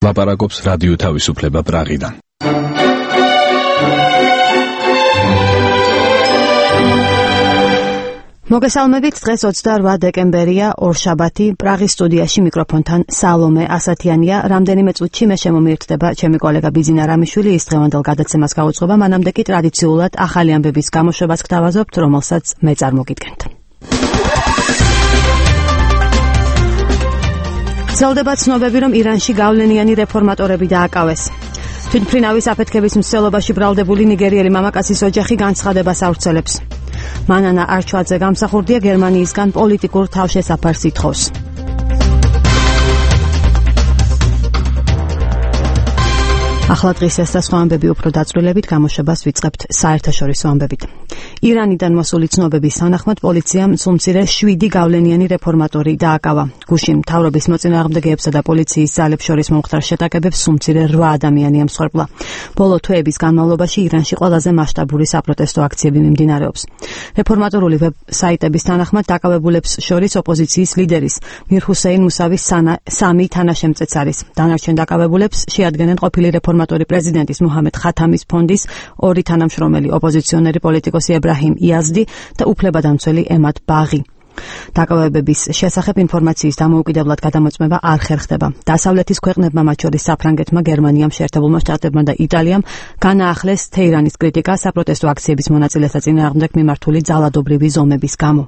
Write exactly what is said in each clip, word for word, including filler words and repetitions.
ლაპარაკობს რადიო თავისუფლება პრაღიდან. მოგესალმებით, დღეს ოცდაორ დეკემბერია, ორშაბათი, პრაღის სტუდიაში მიკროფონთან სალომე ასათიანია. რამდენიმე წუთში მე შემომიერთდება ჩემი კოლეგა ბიზინა რამიშვილი, ის დღევანდელ გადაცემას გაუძღობა, მანამდე კი ტრადიციულად ახალი ამბების გამოშვებას გთავაზობთ, რომელსაც მე წარმოგიდგენთ. ვრცელდება ცნობები, რომ ირანში გავლენიანი რეფორმატორები დააკავეს. თვითმფრინავის აფეთქების მსვლელობაში ბრალდებული ნიგერიელი მამაკაცის ოჯახი განცხადებას ავრცელებს. მანანა არჩვაძე გამსახურდია გერმანიისგან პოლიტიკურ თავშესაფარს ითხოვს. ახლა დღის ეს და სხვა ამბები უფრო დაწვრილებით გამოშვებას ვიწყებთ საერთაშორისო ამბებით. ირანიდან მოსული ცნობების თანახმად პოლიციამ სულმცირე შვიდი გავლენიანი რეფორმატორი დააკავა. გუშინ მთავრობის მოწინააღმდეგეებსა და პოლიციის ძალებს შორის მომხდარ შეტაკებებს სულმცირე რვა ადამიანი ემსხვერპლა. ბოლო თვეების განმავლობაში ირანში ყველაზე მასშტაბური საპროტესტო აქციები მიმდინარეობს. რეფორმატორული ვებ-საიტების თანახმად დაკავებულებს შორის ოპოზიციის ლიდერის მირ ჰუსეინ მუსავის სამი თანაშემწეც არის. დანარჩენ დაკავებულებს შეადგენენ ყოფილი რეფორმატორი პრეზიდენტის მუჰამედ ხათამის ფონდის ორი თანამშრომელი ოპოზიციონერი პოლიტიკოსი ებრაჰიმ იაზდი და უფლებადამცველი ემად ბაღი. დაკავებების შესახებ ინფორმაციის დამოუკიდებლად გადამოწმება არ ხერხდება. დასავლეთის ქვეყნებმა, მათ შორის საფრანგეთმა, გერმანიამ, შეერთებულმა შტატებმა და იტალიამ განაახლეს თეირანის კრიტიკა საპროტესტო აქციების მონაწილეთა წინააღმდეგ მიმართული ძალადობრივი ზომების გამო.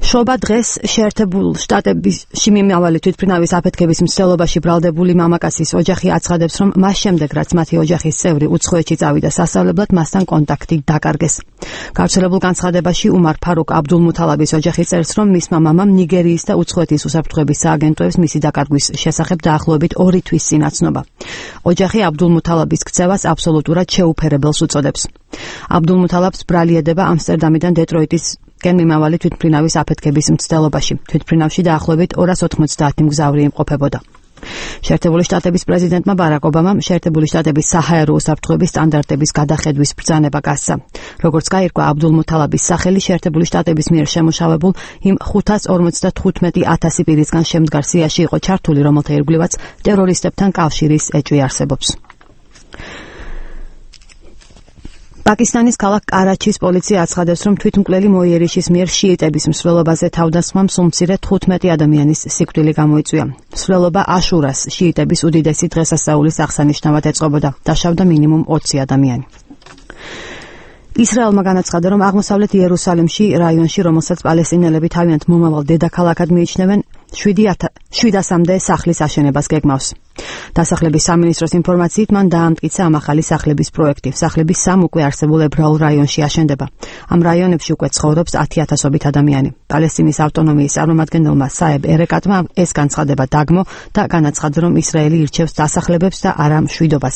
შობა დღეს შეერთებულ შტატებში მიმავალი თვითმფრინავის აფეთქების მცდელობაში ბრალდებული მამაკაცის ოჯახი აცხადებს, რომ მას შემდეგ, რაც მათი ოჯახის წევრი უცხოეთში წავიდა სასწავლებლად, მასთან კონტაქტი დაკარგეს. გავრცელებულ განცხადებაში უმარ ფარუკ აბდულმუთალაბის ოჯახი წერს, რომ მისმა მამამ ნიგერიის და უცხოეთის უსაფრთხოების სააგენტოებს მისი დაკარგვის შესახებ დაახლოებით ორი თვის წინ აცნობა. ოჯახი აბდულმუთალაბის ქცევას აბსოლუტურად შეუფერებელს უწოდებს. აბდულმუთალაბს ბრალieდება ამსტერდამიდან დეტროიტის გენ მიმავალი თვითმფრინავის აფეთქების მცდელობაში. თვითმფრინავში დაახლოებით ორას ოთხმოცდაათი მგზავრი იმყოფებოდა. შეერთებული შტატების პრეზიდენტმა ბარაკ ობამამ შეერთებული შტატების საჰაერო უსაფრთხოების სტანდარტების გადახედვის ბრძანება გასცა. როგორც გაირკვა, აბდულმუთალაბის სახელი შეერთებული შტატების მიერ შემუშავებულ იმ ხუთას ორმოცდათხუთმეტი ათასი პირისგან შემდგარ სიაში იყო ჩართული, რომელთა ირგვლივაც ტერორისტებთან კავშირის ეჭვი არსებობს. პაკისტანის ქალაქ კარაჩის პოლიცია აცხადებს, რომ თვითმკვლელი მოიერიშის მიერ შიიტების მსვლელობაზე თავდასხმამ სულმცირე თხუთმეტი ადამიანის სიკვდილი გამოიწვია. მსვლელობა აშურას შიიტების უდიდესი დღესასწაულის აღსანიშნავად ეწყობოდა. დაშავდა მინიმუმ ოცი ადამიანი. ისრაელმა განაცხადა, რომ აღმოსავლეთ იერუსალიმში, რაიონში, რომელსაც პალესტინელები თავიანთ მომავალ დედაქალაქად მიიჩნევენ, შვიდასამდე სახლის აშენებას გეგმავს. დასახლების სამინისტროს ინფორმაციით მან დაამტკიცა ამ ახალი სახლების პროექტი. სახლები სამ უკვე არსებულ ებრაულ რაიონში აშენდება. ამ რაიონებში უკვე ცხოვრობს ათი ათასობით ადამიანი. პალესტინის ავტონომიის წარმომადგენელმა საებ ერეკატმა ეს განცხადება დაგმო და განაცხადა, რომ ისრაელი ირჩევს დასახლებებს და არა მშვიდობას.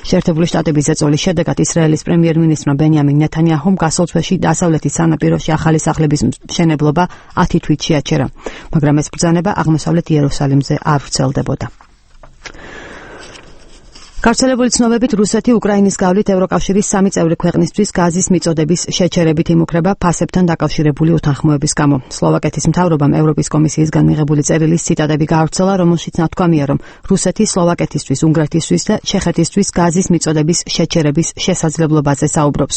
შეერთებული შტატების ზეწოლის შედეგად ისრაელის პრემიერ-მინისტრმა ბენიამინ ნეთანიაჰუმ გასულ თვეში დასავლეთის სანაპიროში ახალი სახლების მშენებლობა ათი თვით შეაჩერა, მაგრამ ეს ბრძანება აღმოსავლეთ იერუსალიმზე არ ვრცელდებოდა. გავრცელებული ცნობებით რუსეთი უკრაინის გავლით ევროკავშირის სამი წევრი ქვეყნისთვის გაზის მიწოდების შეჩერებით იმუქრება ფასებთან დაკავშირებული უთანხმოების გამო. სლოვაკეთის მთავრობამ ევროპის კომისიისგან მიღებული წერილის ციტატები გაავრცელა, რომელშიც ნათქვამია, რომ რუსეთი სლოვაკეთისთვის, უნგრეთისთვის და ჩეხეთისთვის გაზის მიწოდების შეჩერების შესაძლებლობაზე საუბრობს.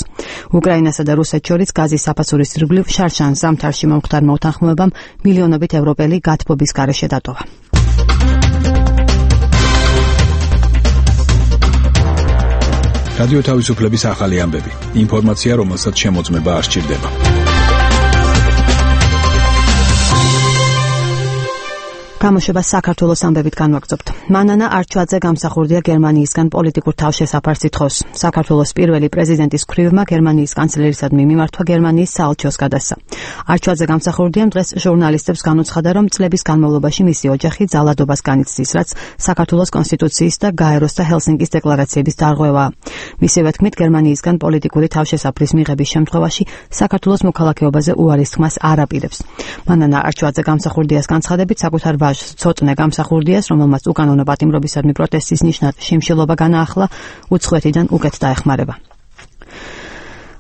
უკრაინასა და რუსეთს შორის გაზის საფასურის ირგვლივ შარშან ზამთარში მომხდარმა უთანხმოებამ მილიონობით ევროპელი გათბობის გარეშე დატოვა. რადიო თავისუფლების ახალი ამბები. ინფორმაცია, რომელსაც შემოწმება არ სჭირდება. გამოშვებას საქართველოს ამბებით განვაგრძობთ. მანანა არჩვაძე გამსახურდია გერმანიისგან პოლიტიკურ თავშესაფარს ითხოვს. საქართველოს პირველი პრეზიდენტის ქვრივმა გერმანიის კანცლერისადმი მიმართვა გერმანიის საელჩოს გადასცა. არჩვაძე გამსახურდიამ დღეს ჟურნალისტებს განუცხადა, რომ წლების განმავლობაში მისი ოჯახი ძალადობას განიცდის, რაც საქართველოს კონსტიტუციის და გაეროს და ჰელსინკის დეკლარაციების დარღვევაა. მისივე თქმით, გერმანიისგან პოლიტიკური თავშესაფრის მიღების შემთხვევაში საქართველოს მოქალაქეობაზე უარის თქმას არ აპირებს. მანანა არჩვაძე გამსახურდიას განცხადებით საკუთარ ცოტნე გამსახურდიას, რომელმაც უკანონო პატიმრობისადმი პროტესტის ნიშნად შიმშილობა განაახლა, უცხოეთიდან უკეთ დაეხმარება.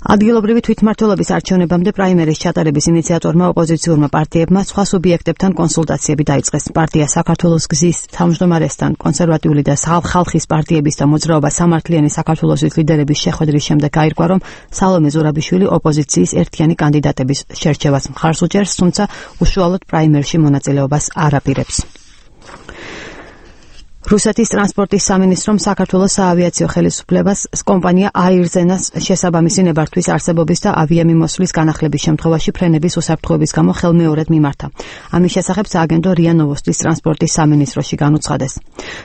ადგილობრივი თვითმმართველობის არჩევნებამდე პრაიმერის ჩატარების ინიციატორმა ოპოზიციურმა პარტიებმა სხვა სუბიექტებთან კონსულტაციები დაიწყეს. პარტია საქართველოს გზის თავმჯდომარესთან, კონსერვატიული და ხალხის პარტიების და მოძრაობა სამართლიანი საქართველოსის ლიდერების შეხვედრის შემდეგ გაირკვა, რომ სალომე ზურაბიშვილი ოპოზიციის ერთიანი კანდიდატების შერჩევას მხარს უჭერს, თუმცა უშუალოდ პრაიმერში მონაწილეობას არ აპირებს. რუსეთის ტრანსპორტის სამინისტრომ საქართველოს საავიაციო ხელისუფლებას კომპანია აირზენას შესაბამისი ნებართვის არსებობის და ავიამიმოსვლის განახლების შემთხვევაში ფრენების უსაფრთხოების გამო ხელმეორედ მიმართა. ამის შესახებ სააგენტო რია ნოვოსტის ტრანსპორტის სამინისტროში განუცხადეს.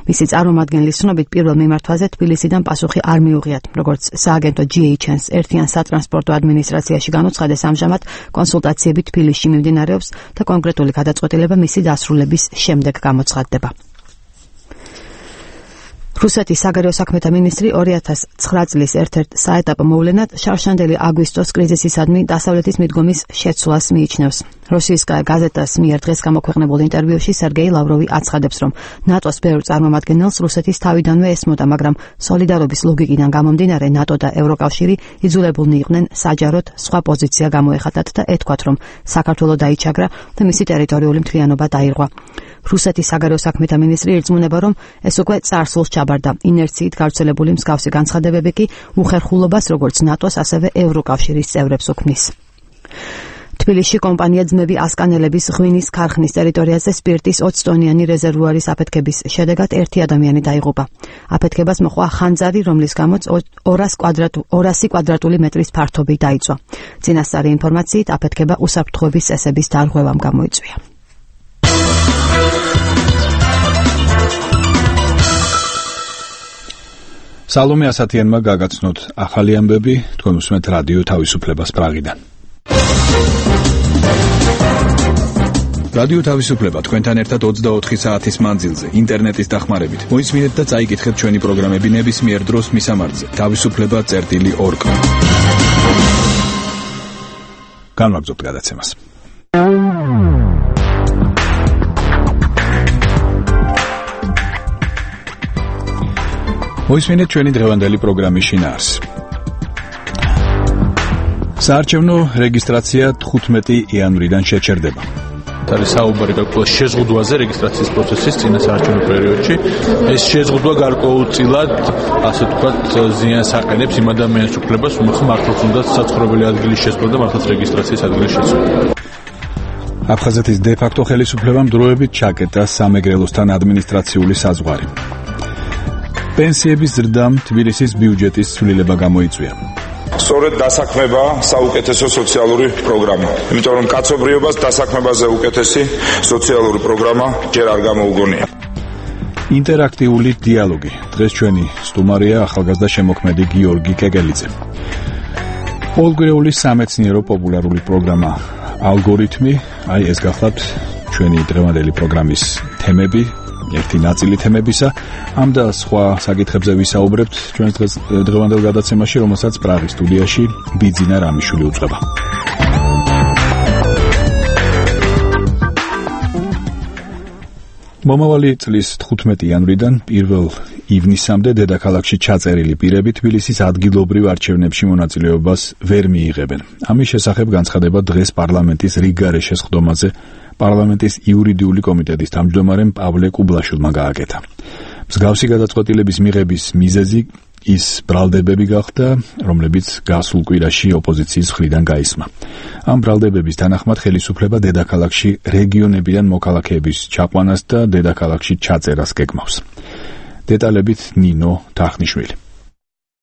მისი წარმომადგენლის ცნობით პირველ მიმართვაზე თბილისიდან პასუხი არ მიუღიათ, როგორც სააგენტო ჯი ეიჩ ენ-ს ერთიან სატრანსპორტო ადმინისტრაციაში განუცხადეს, ამჟამად კონსულტაციები თბილისში მიმდინარეობს და კონკრეტული გადაწყვეტილება მისი დასრულების შემდეგ გამოცხადდება. რუსეთის საგარეო საქმეთა მინისტრი ორი ათას ცხრა წლის ერთ-ერთ საეტაპო მოვლენად შარშანდელი აგვისტოს კრიზისისადმი დასავლეთის მიდგომის შეცვლას მიიჩნევს. რუსიისკაია გაზეტას მიერ დღეს გამოქვეყნებულ ინტერვიუში სერგეი ლავროვი აცხადებს, რომ ნატოს ბევრ წარმომადგენელს რუსეთის თავიდანვე ესმოდა, მაგრამ სოლიდარობის ლოგიკიდან გამომდინარე ნატო და ევროკავშირი იძულებულნი იყვნენ საჯაროდ სხვა პოზიცია გამოეხატათ და ეთქვათ, რომ საქართველო დაიჩაგრა და მისი ტერიტორიული მთლიანობა დაირღვა. რუსეთის საგარეო საქმეთა მინისტრი ირწმუნება, რომ ეს უკვე წარსულს ჩაბარდა. ინერციით გავრცელებული მსგავსი განცხადებები კი უხერხულობას როგორც ნატოს, ასევე ევროკავშირის წევრებს უქმნის. თბილისში კომპანია ძმები ასკანელების ღვინის ქარხნის ტერიტორიაზე სპირტის ოცი ტონიანი რეზერვუარის აფეთქების შედეგად ერთი ადამიანი დაიღუპა. აფეთქებას მოყვა ხანძარი, რომლის გამოც ორასი კვადრატული მეტრის ფართობი დაიწვა. წინასწარი ინფორმაციით აფეთქება უსაფრთხოების წესების დარღვევამ გამოიწვია. სალომე ასათიანმა გაგაცნოთ ახალი ამბები, თქვენ უსმენთ რადიო თავისუფლებას პრაღიდან. რადიო თავისუფლება თქვენთან ერთად ოცდაოთხი საათის მანძილზე, ინტერნეტის დახმარებით. მოისმინეთ და წაიკითხეთ ჩვენი პროგრამები ნებისმიერ დროს მისამართზე თავისუფლება წერტილი ორგ. განვაგრძობთ გადაცემას. მოისმინეთ ჩვენი დღევანდელი პროგრამის შინაარსს. საარჩევნო რეგისტრაცია თხუთმეტი იანვრიდან შეჩერდება. არის საუბარი გაკვეთილ შეზღუდვაზე რეგისტრაციის პროცესის წინა საარჩევნო პერიოდში. ეს შეზღუდვა გარკვეულწილად, ასე ვთქვათ, ზიანს აყენებს იმ ადამიანის უფლებას, რომ მართლაც უნდა საცხოვრებელი ადგილის შესვლა და მართლაც რეგისტრაციის ადგილის შესვლა. აფხაზეთის დე-ფაქტო ხელისუფლებამ დროებით ჩაკეტა სამეგრელოსთან ადმინისტრაციული საზღვარი. პენსიების ზრდამ თბილისის ბიუჯეტის ცვლილება გამოიწვია. სწორედ დასაქმება საუკეთესო სოციალური პროგრამა. იმიტომ რომ კაცობრიობას დასაქმებაზე უკეთესი სოციალური პროგრამა ჯერ არ გამოუგონია. ინტერაქტიული დიალოგი. დღეს ჩვენი სტუმარია ახალგაზრდა შემოქმედი გიორგი კეკელიძე. პოლგვირეული სამეცნიერო პოპულარული პროგრამა ალგორითმი, აი ეს გახლავთ ჩვენი დღევანდელი პროგრამის თემები. ერთი ნაწილი თემებისა, ამ და სხვა საკითხებზე ვისაუბრებთ ჩვენს დღევანდელ გადაცემაში, რომელსაც პრაღის სტუდიაში ბიძინა რამიშვილი უწყება. მომავალი წლის თხუთმეტი იანვრიდან პირველ ივნისამდე დედაქალაქში ჩაწერილი პირები თბილისის ადგილობრივ არჩევნებში მონაწილეობას ვერ მიიღებენ. ამის შესახებ განცხადება დღეს პარლამენტის რიგგარეშე სხდომაზე პარლამენტის იურიდიული კომიტეტის თავმჯდომარემ პავლე კუბლაშვილმა გააკეთა. მსგავსი გადაწყვეტილების მიღების მიზეზი ის ბრალდებები გახდა, რომლებიც გასულ კვირაში ოპოზიციის მხრიდან გაისმა. ამ ბრალდებების თანახმად ხელისუფლება დედაქალაქში რეგიონებიდან მოქალაქეების ჩაყვანას და დედაქალაქში ჩაწერას გეგმავს. დეტალებით ნინო თახნიშვილი.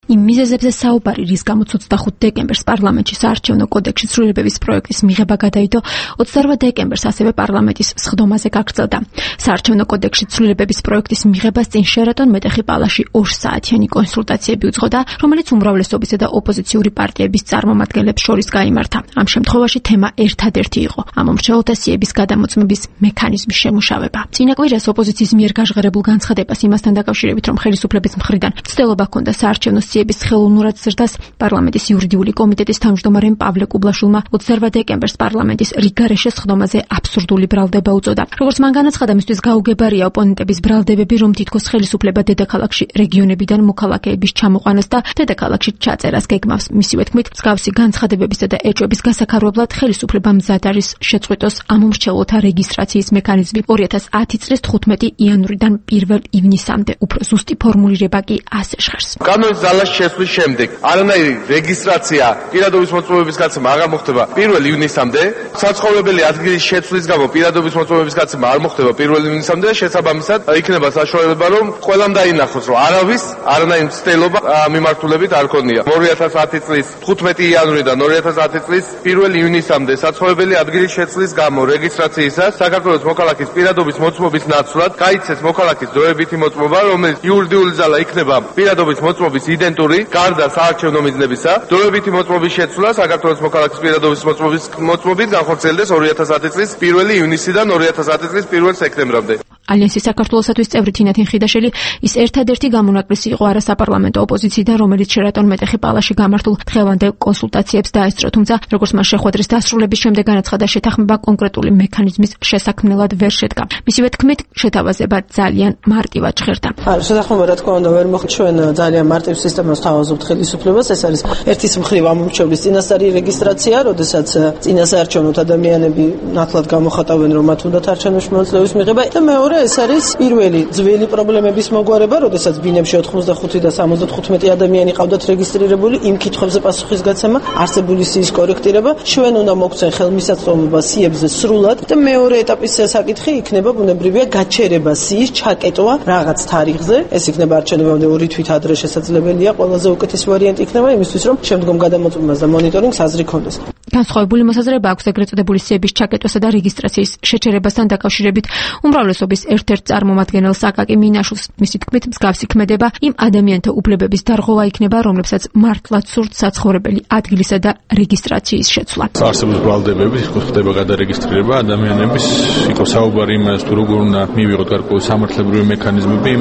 იმ მიზეზებზე საუბარი, რის გამოც ოცდახუთი დეკემბერს პარლამენტში საარჩევნო კოდექსის ცვლილებების პროექტის მიღება გადაიდო, ოცდაორ დეკემბერს ასევე პარლამენტის სხდომაზე გაგრძელდა. საარჩევნო კოდექსის ცვლილებების პროექტის მიღებას წინ შერატონ მეტეხი პალაში ორ საათიანი კონსულტაციები უძღოდა, რომელიც უმრავლესობისა და ოპოზიციური პარტიების წარმომადგენლებს შორის გაიმართა. ამ შემთხვევაში თემა ერთადერთი იყო ამ მომრჩეველთა სიების გადამოწმების მექანიზმის შემუშავება. წინა კვირას ოპოზიციის მიერ გაჟღერებულ განცხადებას იმასთან დაკავშირებით, რომ ხელისუფლების მხრიდან მცდელობა ჰქონდა საარჩევნო სიების ხელოვნურად ზრდას პარლამენტის იურიდიული კომიტეტის თავმჯდომარემ პავლე კუბლაშვილმა ოცდაორ დეკემბერს პარლამენტის რიგარეშე სხდომაზე აბსურდული ბრალდება უწოდა. როგორც მან განაცხადა, მისთვის გაუგებარია ოპონენტების ბრალდებები, რომ თითქოს ხელისუფლება დედაქალაქში რეგიონებიდან მოქალაქეების ჩამოყვანას და დედაქალაქში ჩაწერას გეგმავს. მისივე თქმით, მსგავსი განცხადებებისა და ეჭვების გასაქარობლად ხელისუფლება მზად არის შეწყვიტოს ამომრჩევლთა რეგისტრაციის მექანიზმი. ორი ათას ათი წლის თხუთმეტი იანვრიდან პირველ ივნისამდე. უფრო ზუსტი ფორმულირება კი ასე ჟღერს. კანონის ძალაში შესვლის შემდეგ არანაირი რეგისტრაცია პირადობის მოწმობების გაცემა აღარ მოხდება პირველ ივნისამდე. საცხოვრებელი ადგილის შეცვლის გამო პირადობის მოწმობების გაცემა არ მოხდება პირველ ივნისამდე. შესაბამისად, იქნება საშუალება, რომ ყველამ დაინახოს, რომ არავის არანაირი მცდელობა მიმართულებით არ ქონია. ორი ათას ათი წლის თხუთმეტი იანვრიდან ორი ათას ათი წლის პირველ ივნისამდე საცხოვრებელი ადგილის შეცვლის გამო რეგისტრაციისას საქართველოს მოქალაქის პირადობის მოწმობის ნაცვლად გაიცეს მოქალაქის დროებითი მოწმობა, რომელიც იურიდიული ძალა იქნება პირადობის მოწმობის იდენტური, გარდა საარჩევნო მიზნებისა. დროებითი მოწმობის შეცვლა საქართველოს მოქალაქის პირადობის მოწმობის მოწმობით განხორციელდეს ორი ათას ათი წლის პირველ ივნისიდან ორი ათას ათი წლის პირველ სექტემბრამდე. ალიანსის საქართველოსათვის წევრი თინათინ ხიდაშელი ის ერთადერთი გამონაკლისი იყო არასაპარლამენტო ოპოზიციიდან, რომელიც შერატონ მეტეხი პალაში გამართულ დღევანდელ კონსულტაციებს დაესწრო, თუმცა როგორც მას შეხვედრის დასრულების შემდეგ განაცხადა, შეთანხმება კონკრეტული მექანიზმის შესაქმნელად ვერ შედგა. მისივე თქმით, შეთავაზება ძალიან მარტივად ჟღერდა. შეთანხმება რა თქმა უნდა ვერ მოხდა, ჩვენ ძალიან მარტივ სისტემას თავაზობთ ხელისუფლებას. ეს არის ერთის მხრივ ამომრჩევლის წინასწარი რეგისტრაცია, როდესაც წინასაარჩევნოთ ადამიანები ნათლად გამოხატავენ, რომ მათ უნდათ არჩევნებში მონაწილეობის მიღება და მეორე ეს არის პირველი ძველი პრობლემების მოგვარება, როდესაც ბინებში ოცდახუთი და სამოცდათხუთმეტი ადამიანი ყავდათ რეგისტრირებული, იმ კითხვებზე პასუხისგაცემა, არსებული სიის კორექტირება, ჩვენ უნდა მოგცენ ხელმისაწვდომობა სიებზე სრულად და მეორე ეტაპის საკითხი იქნება ბუნებრივია გაჩერება სიის ჩაკეტვა რაღაც თარიღზე. ეს იქნება არჩევნებამდე ორი თვით ადრე შესაძლებელია, ყველაზე უკეთესი ვარიანტი იქნება იმისთვის, რომ შემდგომ გადამოწმებას და მონიტორინგს აზრი ქონდეს. განსხვავებული მოსაზრება აქვს ეგრეთ წოდებული სიების ჩაკეტვასა და რეგისტრაციის შეჩერებასთან დაკავშირებით უმრავლესობის ერთ-ერთ წარმომადგენელს აკაკი მინაშვილს. მისი თქმით, მსგავსი ქმედება იმ ადამიანთა უფლებების დარღვევა იქნება, რომლებსაც მართლაც სურთ საცხოვრებელი ადგილისა და რეგისტრაციის შეცვლა. არსებობს ბრალდებები, ხდება გადარეგისტრირება ადამიანების, იყო საუბარი იმას, თუ როგორ უნდა მივიღოთ გარკვეული სამართლებრივი მექანიზმები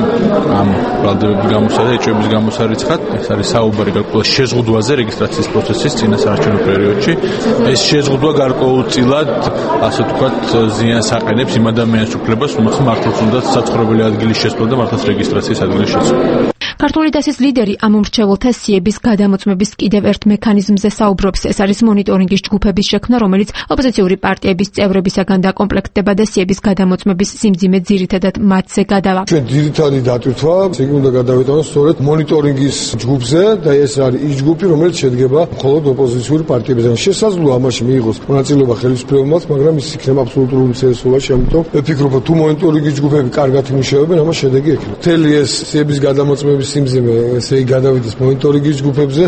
ამ ბრალდებების გამოსა და ეჭვების გამოსარიცხად. ეს არის საუბარი გარკვეულ შეზღუდვაზე რეგისტრაციის პროცესის წინასაარჩევნო პერიოდში. ეს შეზღუდვა გარკვეულწილად, ასე ვთქვათ, ზიანს აყენებს იმ ადამიანის უფლებას, მართლაც უნდა საცხოვრებელი ადგილის შესვლა და მართლაც რეგისტრაციის ადგილის შესვლა. ქართული დასის ლიდერი ამომრჩევლთა სიების გადამოწმების კიდევ ერთ მექანიზმზე საუბრობს. ეს არის მონიტორინგის ჯგუფების შექმნა, რომელიც ოპოზიციური პარტიების წევრებისაგან დაკომპლექტდება და სიების გადამოწმების სიმძიმე ძირითადად მათზე გადავა. ჩვენ ძირითადი დატვირთვა იგი უნდა გადავიტანოს სწორედ მონიტორინგის ჯგუფზე და ეს არის ის ჯგუფი, რომელიც შედგება მხოლოდ ოპოზიციური პარტიებიდან. შესაძლოა ამაში მიიღოს მონაწილეობა ხელისუფლებამ, მაგრამ ის იქნება აბსოლუტური უმცირესობაში, ამიტომ ვფიქრობ, თუ მონიტორინგის ჯგუფები კარგად იმუშავებენ, ამას შედეგი ექნება. მთელი ეს სიების გადამოწმების სიმძიმე ესე იგი გადავიდეს მონიტორინგის ჯგუფებზე.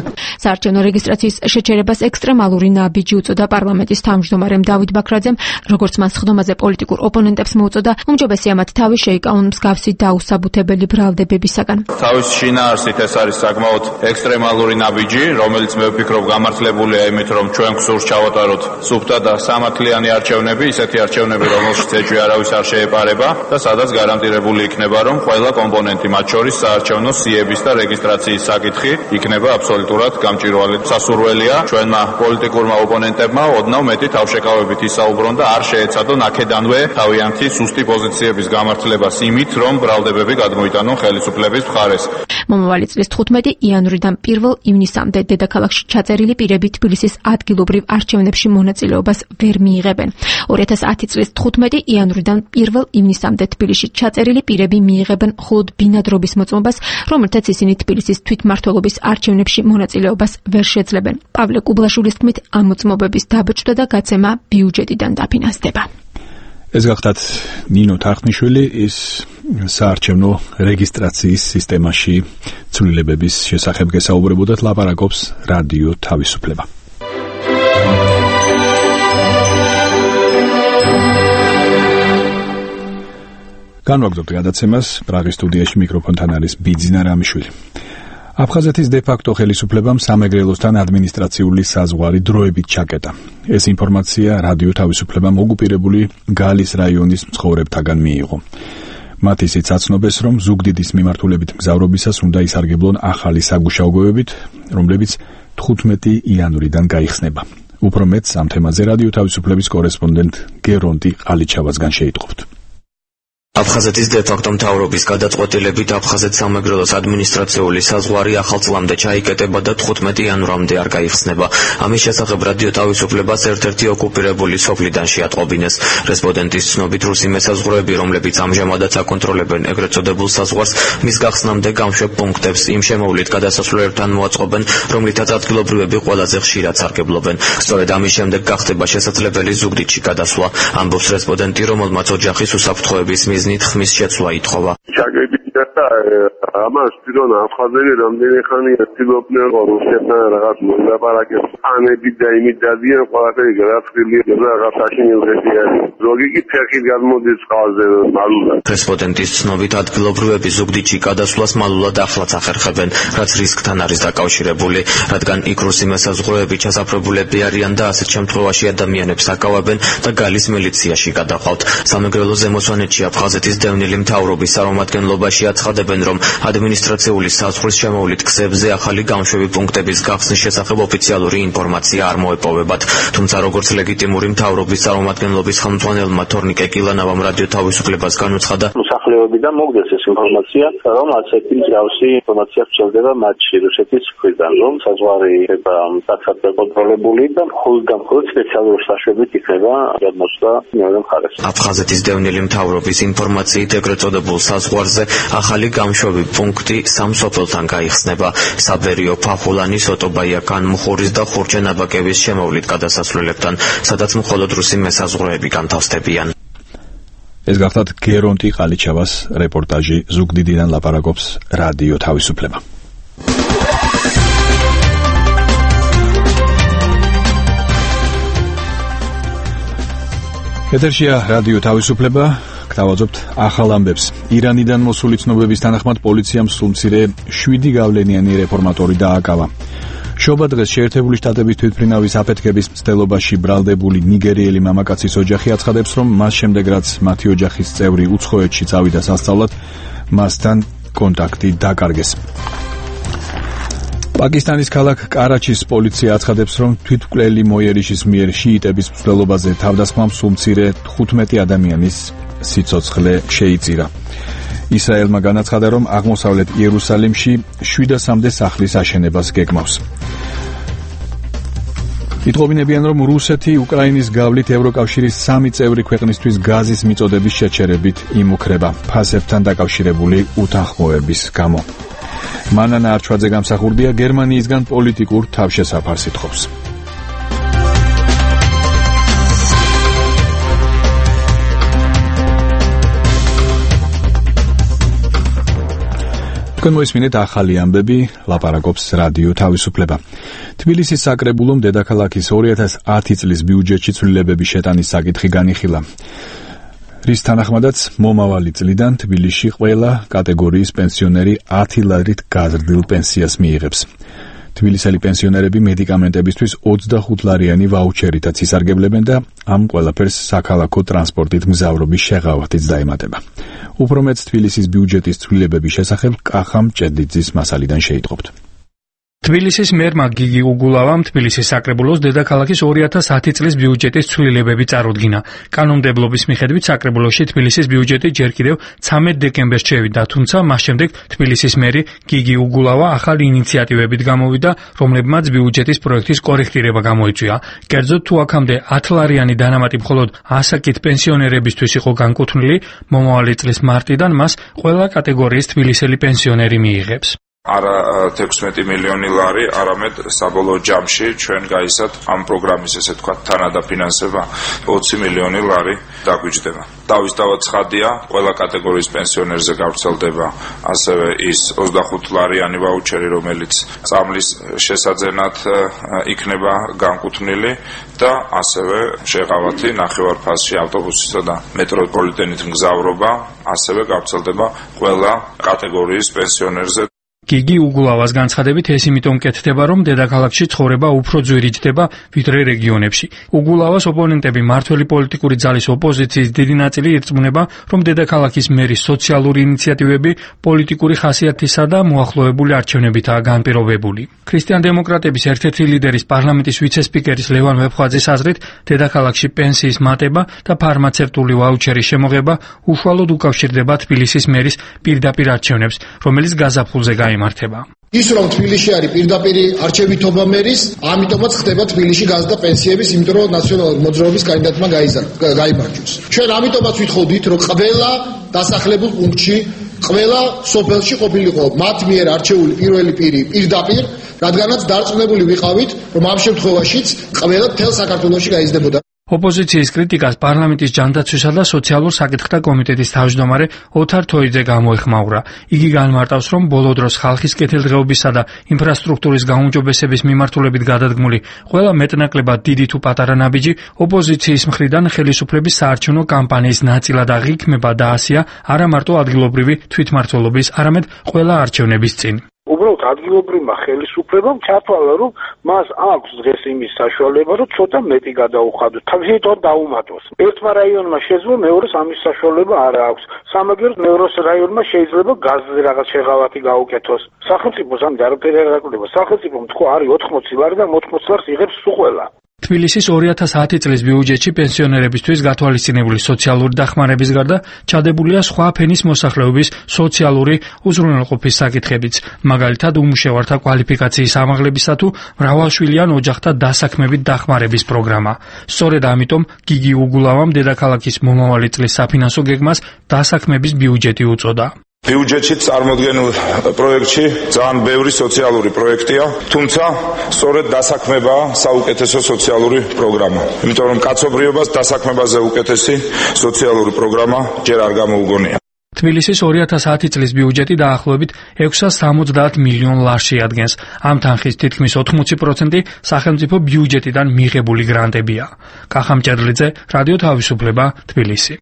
საარჩევნო რეგისტრაციის შეჩერებას ექსტრემალური ნაბიჯი უწოდა პარლამენტის თავმჯდომარემ დავით ბაქრაძემ, როგორც მან სხდომაზე პოლიტიკურ ოპონენტებს მოუწოდა, უმჯობესია მათ თავი შეიკავონ მსგავსი დაუსაბუთებელი ბრალდებებისაგან. თავის შინაარსით ეს არის საკმაოდ ექსტრემალური ნაბიჯი, რომელიც მე ვფიქრობ გამართლებულია იმით, რომ ჩვენ გსურს ჩავატაროთ სუფთა და სამართლიანი არჩევნები, ისეთი არჩევნები, რომელშიც ეჭვი არავის არ შეეპარება და სადაც გარანტირებული იქნება, რომ ყველა კომპონენტი, მათ შორის საარჩევნო სიების და რეგისტრაციის საკითხი იქნება აბსოლუტურად გამჭვირვალე. სასურველია ჩვენმა პოლიტიკურმა ოპონენტებმა ოდნავ მეტი თავშეკავებით ისაუბრონ და არ შეეცადონ აქედანვე თავიანთი სუსტი პოზიციების გამართლებას იმით, რომ ბრალდებები გადმოიტანონ ხელისუფლების მხარეს. მომავალი წლის თხუთმეტი იანვრიდან პირველ ივნისამდე დედაქალაქში ჩაწერილი პირები თბილისის ადგილობრივ არჩევნებში მონაწილეობას ვერ მიიღებენ. ორი ათას ათი წლის თხუთმეტი იანვრიდან პირველ ივნისამდე თბილისში ჩაწერილი პირები მიიღებენ მხოლოდ ბინადრობის მოწმობას, რომელთაც ისინი თბილისის თვითმმართველობის არჩევნებში მონაწილეობას ვერ შეძლებენ. პავლე კუბლაშვილის თქმით, ამ მოწმობების დაბეჭდა და გაცემა ბიუჯეტიდან დაფინანსდება. ეს გახდათ ნინო თარხნიშვილი, ის საარჩევნო რეგისტრაციის სისტემაში ცვლილებების შესახებ გესაუბრებოდა, ლაპარაკობს რადიო თავისუფლება. განვაგრძობთ გადაცემას, პრაღის სტუდიაში მიკროფონთან არის ბიძინა რამიშვილი. აფხაზეთის დე-ფაქტო ხელისუფლებამ სამეგრელოსთან ადმინისტრაციული საზღვარი დროებით ჩაკეტა. ეს ინფორმაცია რადიო თავისუფლებამ ოკუპირებული გალის რაიონის მცხოვრებთაგან მიიღო. მათ ისიც აცნობეს, რომ ზუგდიდის მიმართულებით მგზავრობისას უნდა ისარგებლონ ახალი საგუშაობებით, რომლებიც თხუთმეტი იანვრიდან გაიხსნება. უფრო მეტს ამ თემაზე რადიო თავისუფლების კორესპონდენტ გერონტი ყალიჩავასგან შეიტყობთ. აფხაზეთის დე-ფაქტო მთავრობის გადაწყვეტილებით აფხაზეთის სამეგრელოს ადმინისტრაციული საზღვარი ახალ წლამდე ჩაიკეტება და თხუთმეტი იანვრამდე არ გაიხსნება. ამის შესახებ რადიო თავისუფლებას ერთ-ერთი ოკუპირებული სოფლიდან შეატყობინეს. რესპონდენტის ცნობით რუსი მესაზღვრეები, რომლებიც ამჟამადაც აკონტროლებენ ეგრეთ წოდებულ საზღვარს, მის გახსნამდე გამშვებ პუნქტებს იმ შემოვლით გადასასვლელებთან მოაწყობენ, რომლითაც ადგილობრივები ყველაზე ხშირად სარგებლობენ. სწორედ ამის შემდეგ გახდება შესაძლებელი ზუგდიდში გადასვლა. ამბობს რესპონდენტი, რომელმაც ოჯახის უსაფრთხოების მიზნით ხმის შეცვლა ითხოვა. ამას პირონ აფხაზები რამდენი ხანია ცდილობდნენ რუსეთთან რაღაც მოლაპარაკებს ანები და იმით დადიან ყველაფერი გადაწყვილი რაღაც აშენებები არის ზოგი კი ფეხით გამოდის ყავზე მალულად. რესპონდენტის ცნობით ადგილობრივები ზუგდიდში გადასვლას მალულად ახლაც ახერხებენ, რაც რისკთან არის დაკავშირებული, რადგან იქ რუსი მესაზღვრეები ჩასაფრებულები არიან და ასეთ შემთხვევაში ადამიანებს აკავებენ და გალის მილიციაში გადაყავთ. სამეგრელო ზემოსვანეთში აფხაზეთის დევნილი მთავრობის წარმომადგენლობაში აცხადებენ, რომ ადმინისტრაციული საზღვრის შემოვლით გზებზე ახალი გამშვები პუნქტების გახსნის შესახებ ოფიციალური ინფორმაცია არ მოეპოვებათ. თუმცა როგორც ლეგიტიმური მთავრობის წარმომადგენლობის ხელმძღვანელმა თორნიკე კილანავამ რადიო თავისუფლებას განუცხადა, მოსახლეობიდან მოგდეს ეს ინფორმაცია, რომ ასეთი მსგავსი ინფორმაცია ვრცელდება მათში რუსეთის მხრიდან, რომ საზღვარი იქნება მკაცრად დაკონტროლებული და მხოლოდ და მხოლოდ სპეციალური საშუალებით იქნება გადმოსვლა მეორე მხარეს. აფხაზეთის დევნილი მთავრობის ინფორმაციით ეგრეთ წოდებულ საზღვარზე ახალი გამშვები პუნქტი სამ სოფელთან გაიხსნება: საბერიო, ფახულანი, სოტობაია, განმუხურის და ხურჩენაბაკევის შემოვლით გადასასვლელებთან, სადაც მხოლოდ რუსი მესაზღვრეები განთავსდებიან. ეს გახლავთ გერონტი ყალიჩავას რეპორტაჟი ზუგდიდიდან ლაპარაკობს რადიო თავისუფლება. ეთერშია რადიო თავისუფლება. გთავაზობთ ახალ ამბებს. ირანიდან მოსული ცნობების თანახმად პოლიციამ სულმცირე შვიდი გავლენიანი რეფორმატორი დააკავა. შობა დღეს შეერთებული შტატების თვითმფრინავის აფეთქების მცდელობაში ბრალდებული ნიგერიელი მამაკაცის ოჯახი აცხადებს, რომ მას შემდეგ რაც მათი ოჯახის წევრი უცხოეთში წავიდა სასწავლად, მასთან კონტაქტი დაკარგეს. პაკისტანის ქალაქ კარაჩის პოლიცია აცხადებს, რომ თვითმკვლელი მოიერიშის მიერ შიიტების მცდელობაზე თავდასხმამ სულმცირე თხუთმეტი ადამიანის სიცოცხლე შეიწირა. ისრაელმა განაცხადა, რომ აღმოსავლეთ იერუსალიმში შვიდასამდე სახლის აშენებას გეგმავს. იტყობინებიან, რომ რუსეთი უკრაინის გავლით ევროკავშირის სამი წევრი ქვეყნისთვის გაზის მიწოდების შეჩერებით იმუქრება ფასებთან დაკავშირებული უთანხმოების გამო. მანანა არჩვაძე გამსახურდია გერმანიისგან პოლიტიკურ თავშესაფარს ითხოვს. მოისმინეთ ახალი ამბები, ლაპარაკობს რადიო თავისუფლება. თბილისის საკრებულომ დედაქალაქის ორი ათას ათი წლის ბიუჯეტში ცვლილებების შეტანის საკითხი განიხილა. რის თანახმადაც მომავალი წლიდან თბილისში ყველა კატეგორიის პენსიონერი ათი ლარით გაზრდილ პენსიას მიიღებს. თბილისელი პენსიონერები მედიკამენტებისთვის ოცდახუთ ლარიანი ვაუჩერითაც ისარგებლებენ და ამ ყველაფერს საქალაქო ტრანსპორტით მგზავრობის შეღავათიც დაემატება. უფრო მეც თბილისის ბიუჯეტის ცვლილებების შესახებ კახამ ჭედლიძის მასალიდან შეიტყობთ. თბილისის მერმა გიგი უგულავამ თბილისის საკრებულოს დედაქალაქის ორი ათას ათი წლის ბიუჯეტის ცვლილებები წარუდგინა. კანონმდებლობის მიხედვით საკრებულოში თბილისის ბიუჯეტი ჯერ კიდევ ცამეტ დეკემბერს შევიდა, თუმცა მას შემდეგ თბილისის მერი გიგი უგულავა ახალი ინიციატივებით გამოვიდა, რომლებმაც ბიუჯეტის პროექტის კორექტირება გამოიწვია. კერძოდ, თუ აქამდე ათლარიანი დანამატი მხოლოდ ასაკით პენსიონერებისთვის იყო განკუთვნილი, მომავალი წლის მარტიდან მას ყველა კატეგორიის თბილისელი პენსიონერი მიიღებს. არა თექვსმეტი მილიონი ლარი, არამედ საბოლოო ჯამში ჩვენ გაისად ამ პროგრამის ესე თქვა თანადაფინანსება ოცი მილიონი ლარი დაგვიჯდება. დავისთავად ცხადია, ყველა კატეგორიის პენსიონერზე გავრცელდება ასევე ის ოცდახუთ ლარიანი ვაუჩერი, რომელიც წამლის შესაძენად იქნება განკუთვნილი და ასევე შეღავათი ნახევარფასში ავტობუსისა და მეტროპოლიტენით მგზავრობა ასევე გავრცელდება ყველა კატეგორიის პენსიონერზე. გიგი უგულავას განცხადებით ეს იმიტომ კეთდება, რომ დედაქალაქში ცხოვრება უფრო ძვირიჯდება ვიდრე რეგიონებში. უგულავას ოპონენტები მართველი პოლიტიკური ძალის ოპოზიციის დიდი ნაწილი ირწმუნება, რომ დედაქალაქის მერის სოციალური ინიციატივები პოლიტიკური ხასიათისა და მოახლოებული არჩევნებითაა განპირობებული. ქრისტიან-დემოკრატების ერთ-ერთი ლიდერის პარლამენტის ვიცე-სპიკერის ლევან ვეფხვაძის აზრით, დედაქალაქში პენსიის მატება და ფარმაცევტული ვაუჩერის შემოღება უშუალოდ უკავშირდება თბილისის მერის პირდაპირ არჩევნებს, რომელიც გაზაფხულზე გაიმართება. ის რომ თბილისში არის პირდაპირ არჩევითობა მერის, ამიტომაც ხდება თბილისში გაზ და პენსიების, იმიტომ რომ ნაციონალური მოძრაობის კანდიდატმა გაიმარჯვეს. ჩვენ ამიტომაც ვითხოვდით, რომ ყველა დასახლებულ პუნქტში, ყველა სოფელში ყოფილიყო მათ მიერ არჩეული პირველი პირი პირდაპირ, რადგანაც დარწმუნებული ვიყავით, რომ ამ შემთხვევაშიც ყველა მთელ საქართველოში გაიზრდებოდა. ოპოზიციის კრიტიკას პარლამენტის ჯანდაცვისა და სოციალურ საკითხთა კომიტეტის თავმჯდომარე ოთარ თოიძე გამოეხმაურა. იგი განმარტავს, რომ ბოლო დროს ხალხის კეთილდღეობისა და ინფრასტრუქტურის გაუმჯობესების მიმართულებით გადადგმული ყველა მეტნაკლებად დიდი თუ პატარა ნაბიჯი ოპოზიციის მხრიდან ხელისუფლების საარჩევნო კამპანიის ნაწილად აღიქმება და ასია არა მარტო ადგილობრივი თვითმმართველობის, არამედ ყველა არჩევნების წინ. უბრალოდ ადგილობრივმა ხელისუფლებამ ჩათვალა, რომ მას აქვს დღეს იმის საშუალება, რომ ცოტა მეტი გადაუხადოს, თავისთავად დაუმატოს. ერთმა რაიონმა შეძლო, მეორეს ამის საშუალება არ აქვს. სამაგეროდ მეორე რაიონმა შეიძლება გაზზე რაღაც შეღავათი გაუკეთოს. სახელმწიფოს ამით არაფერი არ აკეთება. სახელმწიფომ თქვა არის ოთხმოცი ლარი და ოთხმოცი ლარს იღებს სულ ყველა. თბილისის ორი ათას ათი წლის ბიუჯეტში პენსიონერებისთვის გათვალისწინებული სოციალური დახმარების გარდა ჩადებულია სხვა ფენის მოსახლეობის სოციალური უზრუნველყოფის საკითხებიც, მაგალითად უმუშევართა კვალიფიკაციის ამაღლებისა თუ მრავალშვილიან ოჯახთა დასაქმებით დახმარების პროგრამა. სწორედ ამიტომ გიგი უგულავამ დედაქალაქის მომავალი წლის საფინანსო გეგმას დასაქმების ბიუჯეტი უწოდა. ბიუჯეტში წარმოდგენილ პროექტში ძალიან ბევრი სოციალური პროექტია, თუმცა სწორედ დასაქმებაა საუკეთესო სოციალური პროგრამა. იმიტომ რომ კაცობრიობას დასაქმებაზე უკეთესი სოციალური პროგრამა ჯერ არ გამოუგონია. თბილისის ორი ათას ათი წლის ბიუჯეტი დაახლოებით ექვსას სამოცდაათ მილიონ ლარს შეადგენს. ამ თანხის თითქმის ოთხმოცი პროცენტი სახელმწიფო ბიუჯეტიდან მიღებული გრანტებია. კახა მჭედლიძე, რადიო თავისუფლება, თბილისი.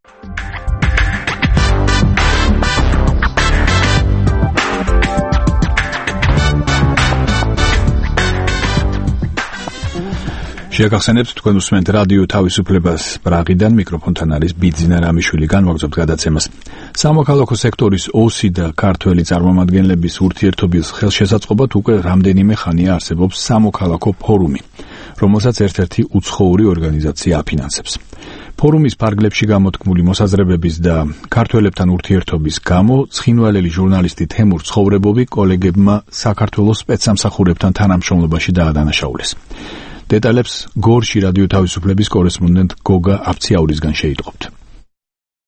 შეგახსენებთ, თქვენ უსმენთ რადიო თავისუფლებას პრაღიდან, მიკროფონთან არის ბიძინა რამიშვილი, განვაგრძობთ გადაცემას. სამოქალაქო სექტორის ოსი და ქართველი წარმომადგენლების ურთიერთობის ხელშესაწყობად უკვე რამდენიმე ხანია არსებობს სამოქალაქო ფორუმი, რომელსაც ერთ-ერთი უცხოური ორგანიზაცია აფინანსებს. ფორუმის ფარგლებში გამოთქმული მოსაზრებების და ქართველებთან ურთიერთობის გამო ცხინვალელი ჟურნალისტი თემურ ცხოვრებოვი კოლეგებმა საქართველოს სპეცსამსახურებთან თანამშრომლობაში დაადანაშაულეს. დეტალებს გორში რადიო თავისუფლების კორესპონდენტ გოგა აფციაურისგან შეიტყობთ.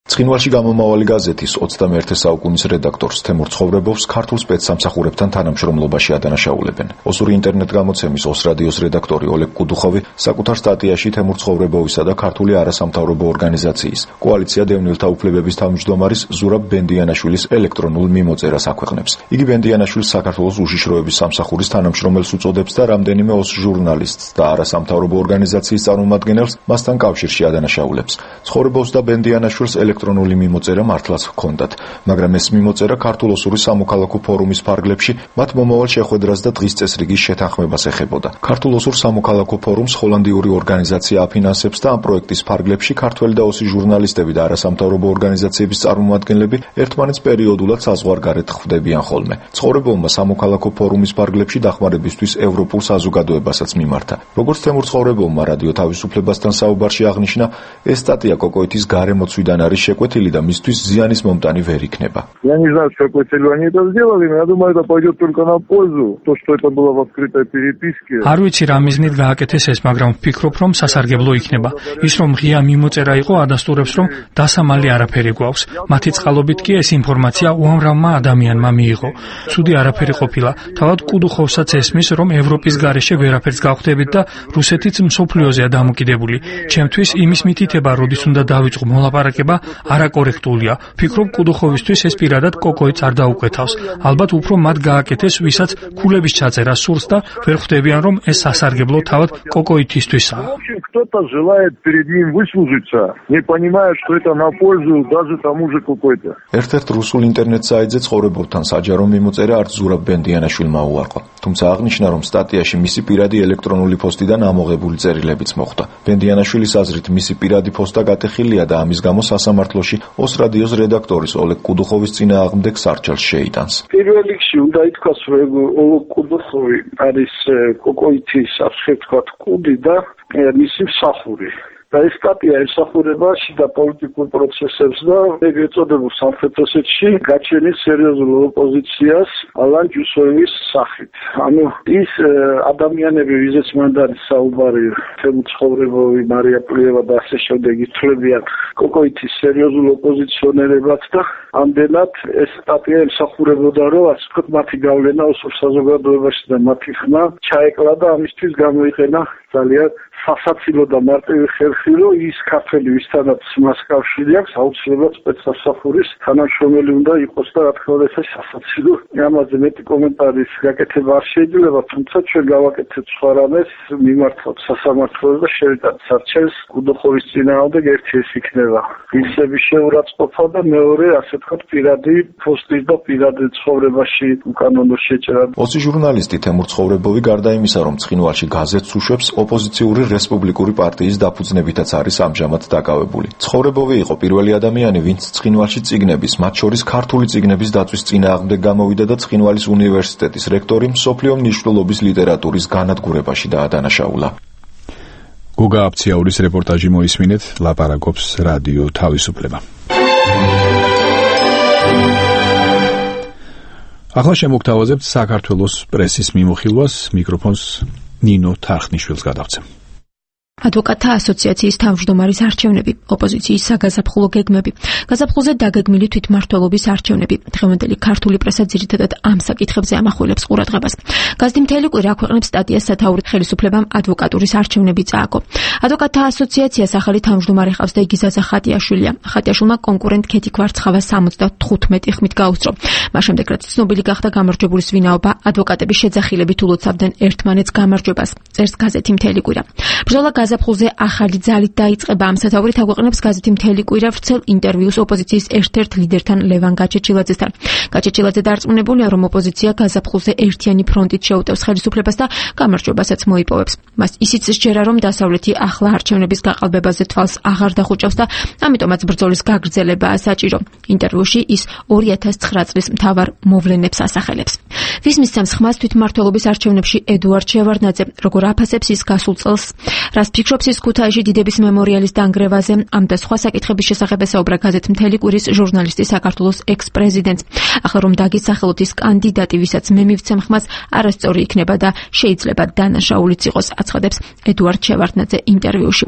ცხინვალში გამომავალი გაზეთის ოცდამეერთე საუკუნის რედაქტორს თემურ ცხოვრებოვს ქართულ სპეცსამსახურებთან თანამშრომლობაში ადანაშაულებენ. ოსური ინტერნეტ გამოცემის ოს რადიოს რედაქტორი ოლეგ კუდუხოვი საკუთარ სტატიაში თემურ ცხოვრებოვისა და ქართული არასამთავრობო ორგანიზაციის კოალიცია დევნილთა უფლებების თავმჯდომარის ზურაბ ბენდიანაშვილის ელექტრონულ მიმოწერას აქვეყნებს. იგი ბენდიანაშვილს საქართველოს უშიშროების სამსახურის თანამშრომელს უწოდებს და რამდენიმე ოს ჟურნალისტს და არასამთავრობო ორგანიზაციის წარმომადგენელს მასთან კავშირში ადანაშაულებს. ცხოვრებოვს და ბენდიანაშვილს ელექტრონული მიმოწერა მართლაც ჰქონდათ, მაგრამ ეს მიმოწერა ქართულ-ოსური სამოქალაქო ფორუმის ფარგლებში მათ მომავალ შეხვედრას და დღის წესრიგის შეთანხმებას ეხებოდა. ქართულ-ოსურ სამოქალაქო ფორუმს ჰოლანდიური ორგანიზაცია აფინანსებს და ამ პროექტის ფარგლებში ქართველი და ოსი ჟურნალისტები და არასამთავრობო ორგანიზაციების წარმომადგენლები ერთმანეთს პერიოდულად საზღვარგარეთ ხვდებიან ხოლმე. ცხოვრებოვმა სამოქალაქო ფორუმის ფარგლებში დახმარებისთვის ევროპულ საზოგადოებასაც მიმართა. როგორც თემურ ცხოვრებოვმა რადიო თავისუფლებასთან საუბარში აღნიშნა, ეს სტატია კოკოეთის გარემოცვიდან არის შეკვეთილი და მისთვის ზიანის მომტანი ვერ იქნება. Я не знаю, с какой целью они это сделали, но я думаю, это пойдет только на пользу. То, что это было в открытой переписке. არ ვიცი რა მიზნით გააკეთეს ეს, მაგრამ ვფიქრობ, რომ სასარგებლო იქნება. ის რომ ღია მიმოწერა იყო, ადასტურებს, რომ დასამალი არაფერი გვაქვს. მათი წყალობით კი ეს ინფორმაცია უამრავმა ადამიანმა მიიღო. ცუდი არაფერი ყოფილა. თავად კუდუხოვსაც ესმის, რომ ევროპის გარეშე ვერაფერს გავხდებით და რუსეთიც მსოფლიოზეა დამოკიდებული. ჩემთვის იმის მითითება, როდის უნდა დავიწყო მოლაპარაკება, არაკორექტულია. ფიქრობ, კუდუხოვისთვის ეს პირადად კოკოიც არ დაუკვეთავს. ალბათ უფრო მათ გააკეთეს, ვისაც ქულების ჩაწერა სურს და ვერ ხვდებიან, რომ ეს სასარგებლო თავად კოკოითისთვისაა. Кто-то желает перед ним выслужиться, не понимая, что это на пользу даже тому же какой-то. ერთ-ერთ რუსულ ინტერნეტ საიტზე ცხოვრებობთან საჯარო მიმოწერა არც ზურაბ ბენდიანაშვილმა უარყო. თუმცა აღნიშნა, რომ სტატიაში მისი პირადი ელექტრონული პოსტიდან ამოღებული წერილებიც მოხვდა. ბენდიანაშვილის აზრით, მისი პირადი პოსტა გატეხილია და ამის გამო სასამართლოში ოს რადიოს რედაქტორის ოლეგ კუდუხოვის წინააღმდეგ სარჩელს შეიტანს. პირველ რიგში უნდა ითქვას, რომ ოლეგ კუდუხოვი არის კოკოითის ასე ვთქვათ კუდი და მისი მსახური. და ეს სტატია ემსახურება შიდა პოლიტიკურ პროცესებს და ეგრეთ წოდებულ სამხრეთ ოსეთში გაჩენის სერიოზულ ოპოზიციას ალან ჯუსოევის სახით. ანუ ის ადამიანები, ვიზეც მანდ არის საუბარი, თემ ცხოვრებოვი, მარია პლიევა და ასე შემდეგ ითვლებიან კოკოითის სერიოზულ ოპოზიციონერებად და ამდენად ეს სტატია ემსახურებოდა, რომ ასე ვთქვათ, მათი გავლენა ოსურ საზოგადოებაში და მათი ხმა ჩაეკლა და ამისთვის გამოიყენა ძალიან სასაცილო და მარტივი ხერხი, რომ ის ქართველი, ვისთანაც მას კავშირი აქვს, აუცილებლად სპეცსამსახურის თანამშრომელი უნდა იყოს და რა თქმა უნდა ეს სასაცილო. ამაზე მეტი კომენტარის გაკეთება არ შეიძლება, თუმცა ჩვენ გავაკეთეთ სხვა რამეს, მიმართოთ სასამართლოს და შევიტანთ სარჩელს კუდუხოვის წინააღმდეგ. ერთი ეს იქნება ვისების შეურაცხყოფა და მეორე, ასე ვთქვათ, პირადი პოსტის და პირადი ცხოვრებაში უკანონო შეჭრა. ოცი ჟურნალისტი თემურ ცხოვრებოვი გარდა იმისა, რომ ცხინვალში გაზეთს უშვებს, ოპოზიციური რესპუბლიკური პარტიის დაფუძნებითაც არის ამჟამად დაკავებული. ცხოვრებოვი იყო პირველი ადამიანი, ვინც ცხინვალში წიგნების, მათ შორის ქართული წიგნების დაწვის წინააღმდეგ გამოვიდა და ცხინვალის უნივერსიტეტის რექტორი მსოფლიო მნიშვნელობის ლიტერატურის განადგურებაში დაადანაშაულა. გოგა აფციაურის რეპორტაჟი მოისმინეთ, ლაპარაკობს რადიო თავისუფლება. ახლა შემოგთავაზებთ საქართველოს პრესის მიმოხილვას, მიკროფონს ნინო თარხნიშვილს გადავცემ. ადვოკატთა ასოციაციის თავმჯდომარის არჩევნები, ოპოზიციის საგაზაფხულო გეგმები, გაზაფხულზე დაგეგმილი თვითმმართველობის არჩევნები. დღევანდელი ქართული პრესა ძირითადად ამ საკითხებზე ამახვილებს ყურადღებას. გაზეთი მთელი კვირა აქვეყნებს სტატიას სათაური ხელისუფლებამ ადვოკატურის არჩევნები წააგო. ადვოკატთა ასოციაციას ახალი თავმჯდომარე ჰყავს და იგი ზაზა ხატიაშვილია. ხატიაშვილმა კონკურენტ ქეთი ქვარცხავა სამოცდათხუთმეტი ხმით გაუსწრო. მას შემდეგ რაც ცნობილი გახდა გამარჯვებულის ვინაობა, ადვოკატები შეძახილებით ულოცავდნენ ერთმანეთს გამარჯვებას. წერს გაზეთი მთელი კვირა. ბრძოლა გაზაფხულზე ახალი ძალით დაიწყება. ამ სათაურით აგვეყნებს გაზეთი მთელი კვირა ვრცელ ინტერვიუს ოპოზიციის ერთ-ერთ ლიდერთან ლევან გაჩეჩილაძესთან. გაჩეჩილაძე დარწმუნებულია, რომ ოპოზიცია გაზაფხულზე ერთიანი ფრონტით შეუტევს ხელისუფლებას და გამარჯვებასაც მოიპოვებს. მას ისიც სჯერა, რომ დასავლეთი ახლა არჩევნების გაყალბებაზე თვალს აღარ დახუჭავს და ამიტომაც ბრძოლის გაგრძელებაა საჭირო. ინტერვიუში ის ორი ათას ცხრა წლის მთავარ მოვლენებს ასახელებს. ვის მისცემს ხმას თვითმმართველობის არჩევნებში ედუარდ შევარდნაძე, როგორ აფასებს ის გასულ წელს, რას ფიქრობს ის ქუთაისში დიდების მემორიალის დანგრევაზე, ამ და სხვა საკითხების შესახებ ესაუბრა გაზეთ მთელი კვირის ჟურნალისტი საქართველოს ექს-პრეზიდენტს. ახლა რომ დაგისახელოთ ის კანდიდატი, ვისაც მე მივცემ ხმას, არასწორი იქნება და შეიძლება დანაშაულიც იყოს, აცხადებს ედუარდ შევარდნაძე ინტერვიუში.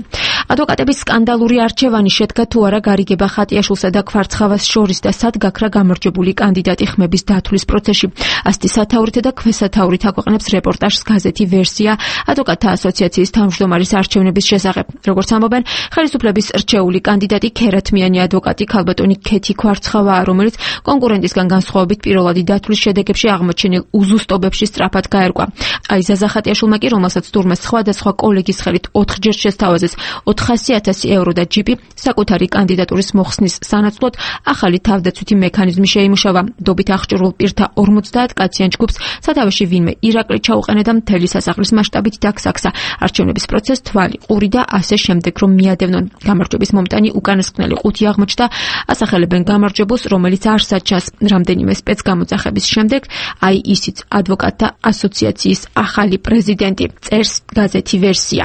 ადვოკატების სკანდალური არჩევანი შედგა თუ არა გარიგება ხატიაშვილსა და ქვარცხავას შორის და სად გაქრა გამარჯვებული კანდიდატი ხმების დათვლის პროცესში. ასეთი სათაურით და ქვესათაურით აქვეყნებს რეპორტაჟს გაზეთი ვერსია ადვოკატთა ასოციაციის თავმჯდომარის არჩევნების შესახებ. როგორც ამბობენ, ხელისუფლების რჩეული კანდიდატი ქერათმიანი ადვოკატი ქალბატონი ქეთი ქვარცხავაა, რომელიც კონკურენტისგან განსხვავებით პირველადი დათვლის შედეგებში აღმოჩენილ უზუსტობებში სწრაფად გაერკვა. აიზა ზახატიაშვილმა კი, რომელსაც თურმეს სხვადასხვა კოლეგის ხელით ოთხჯერ შესთავაზეს ოთხასი ათასი ევრო და ჯიპი, საკუთარი კანდიდატურის მოხსნის სანაცვლოდ ახალი თავდაცვითი მექანიზმი შეიმუშავა. დობით აღჭურვილ პირთა ორმოცდაათ კაციან ჯგუფს სათავეში ვინმე ირაკლი ჩაუყენა და მთელი სასახლის მასშტაბით დაგსახსა. არჩევნების პროცესს თვალი, ყური და ასე შემდეგ რომ მიადევნონ. გამარჯვების მომტანი უკანასკნელი ყუთი აღმოჩნდა. ასახელებენ გამარჯვებულს, რომელიც არ საჩას. რამდენიმე სპეცგამოძახების შემდეგ აი ისიც ადვოკატთა ასოციაციის ახალი პრეზიდენტი, წერს გაზეთი ვერსია.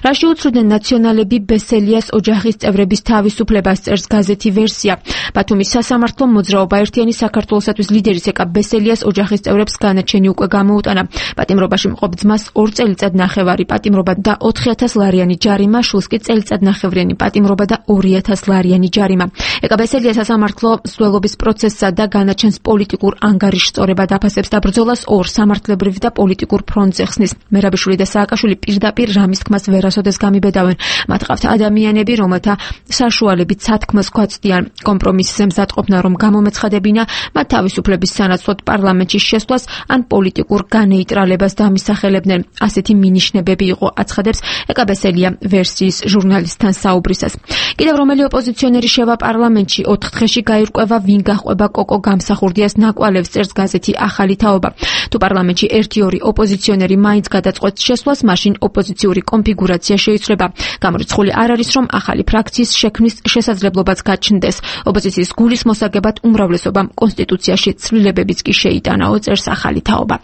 რაში უცვლოდნენ ნაციონალები ბესელიას ოჯახის წევრების თავისუფლებას, წერს გაზეთი ვერსია. ბათუმის სასამართლომ მოძრაობა ერთიანი საქართველოსათვის ლიდერის ეკა ბესელიას ოჯახის წევრებს განაჩენი უკვე გამოუტანა. პატიმრობაში მყოფ ძმას ორ წელიწად ნახევარი პატიმრობა და ოთხი ათას ლარიანი ჯარიმა, შულს კი წელიწადნახევრიანი პატიმრობა და ორი ათას ლარიანი ჯარიმა. ეკაბესელია სასამართლო მსვლელობის პროცესსა და განაჩენს პოლიტიკურ ანგარიშსწორებად აფასებს და ბრძოლას ორ სამართლებრივ და პოლიტიკურ ფრონტზე ხსნის. მერაბიშვილი და სააკაშვილი პირდაპირ რამის თქმას ვერასოდეს გამიბედავენ. მათ ყავთ ადამიანები, რომელთა საშუალებით სათქმელს გვაწვდიან კომპრომისზე მზადყოფნა, რომ გამომეცხადებინა მათ თავისუფლების სანაცვლოდ პარლამენტში შესვლას ან პოლიტიკურ განეიტრალებას დამისახელებდნენ. ასეთი მინიშნებები იყო, აცხადებს ეკაბესელია ვერსიის ჟურნალისტთან საუბრისას. კიდევ რომელი ოპოზიციონერი შევა პარლამენტში, ოთხ დღეში გაირკვევა, ვინ გაჰყვება კოკო გამსახურდიას ნაკვალევს, წერს გაზეთი ახალი თაობა. თუ პარლამენტში ერთი-ორი ოპოზიციონერი მაინც გადაწყვეტს შესვლას, მაშინ ოპოზიციური კონფიგურაცია შეიცვლება. გამორიცხული არ არის, რომ ახალი ფრაქციის შექმნის შესაძლებლობაც გაჩნდეს. ოპოზიციის გულის მოსაგებად უმრავლესობამ კონსტიტუციაში ცვლილებებიც კი შეიტანაო, წერს ახალი თაობა.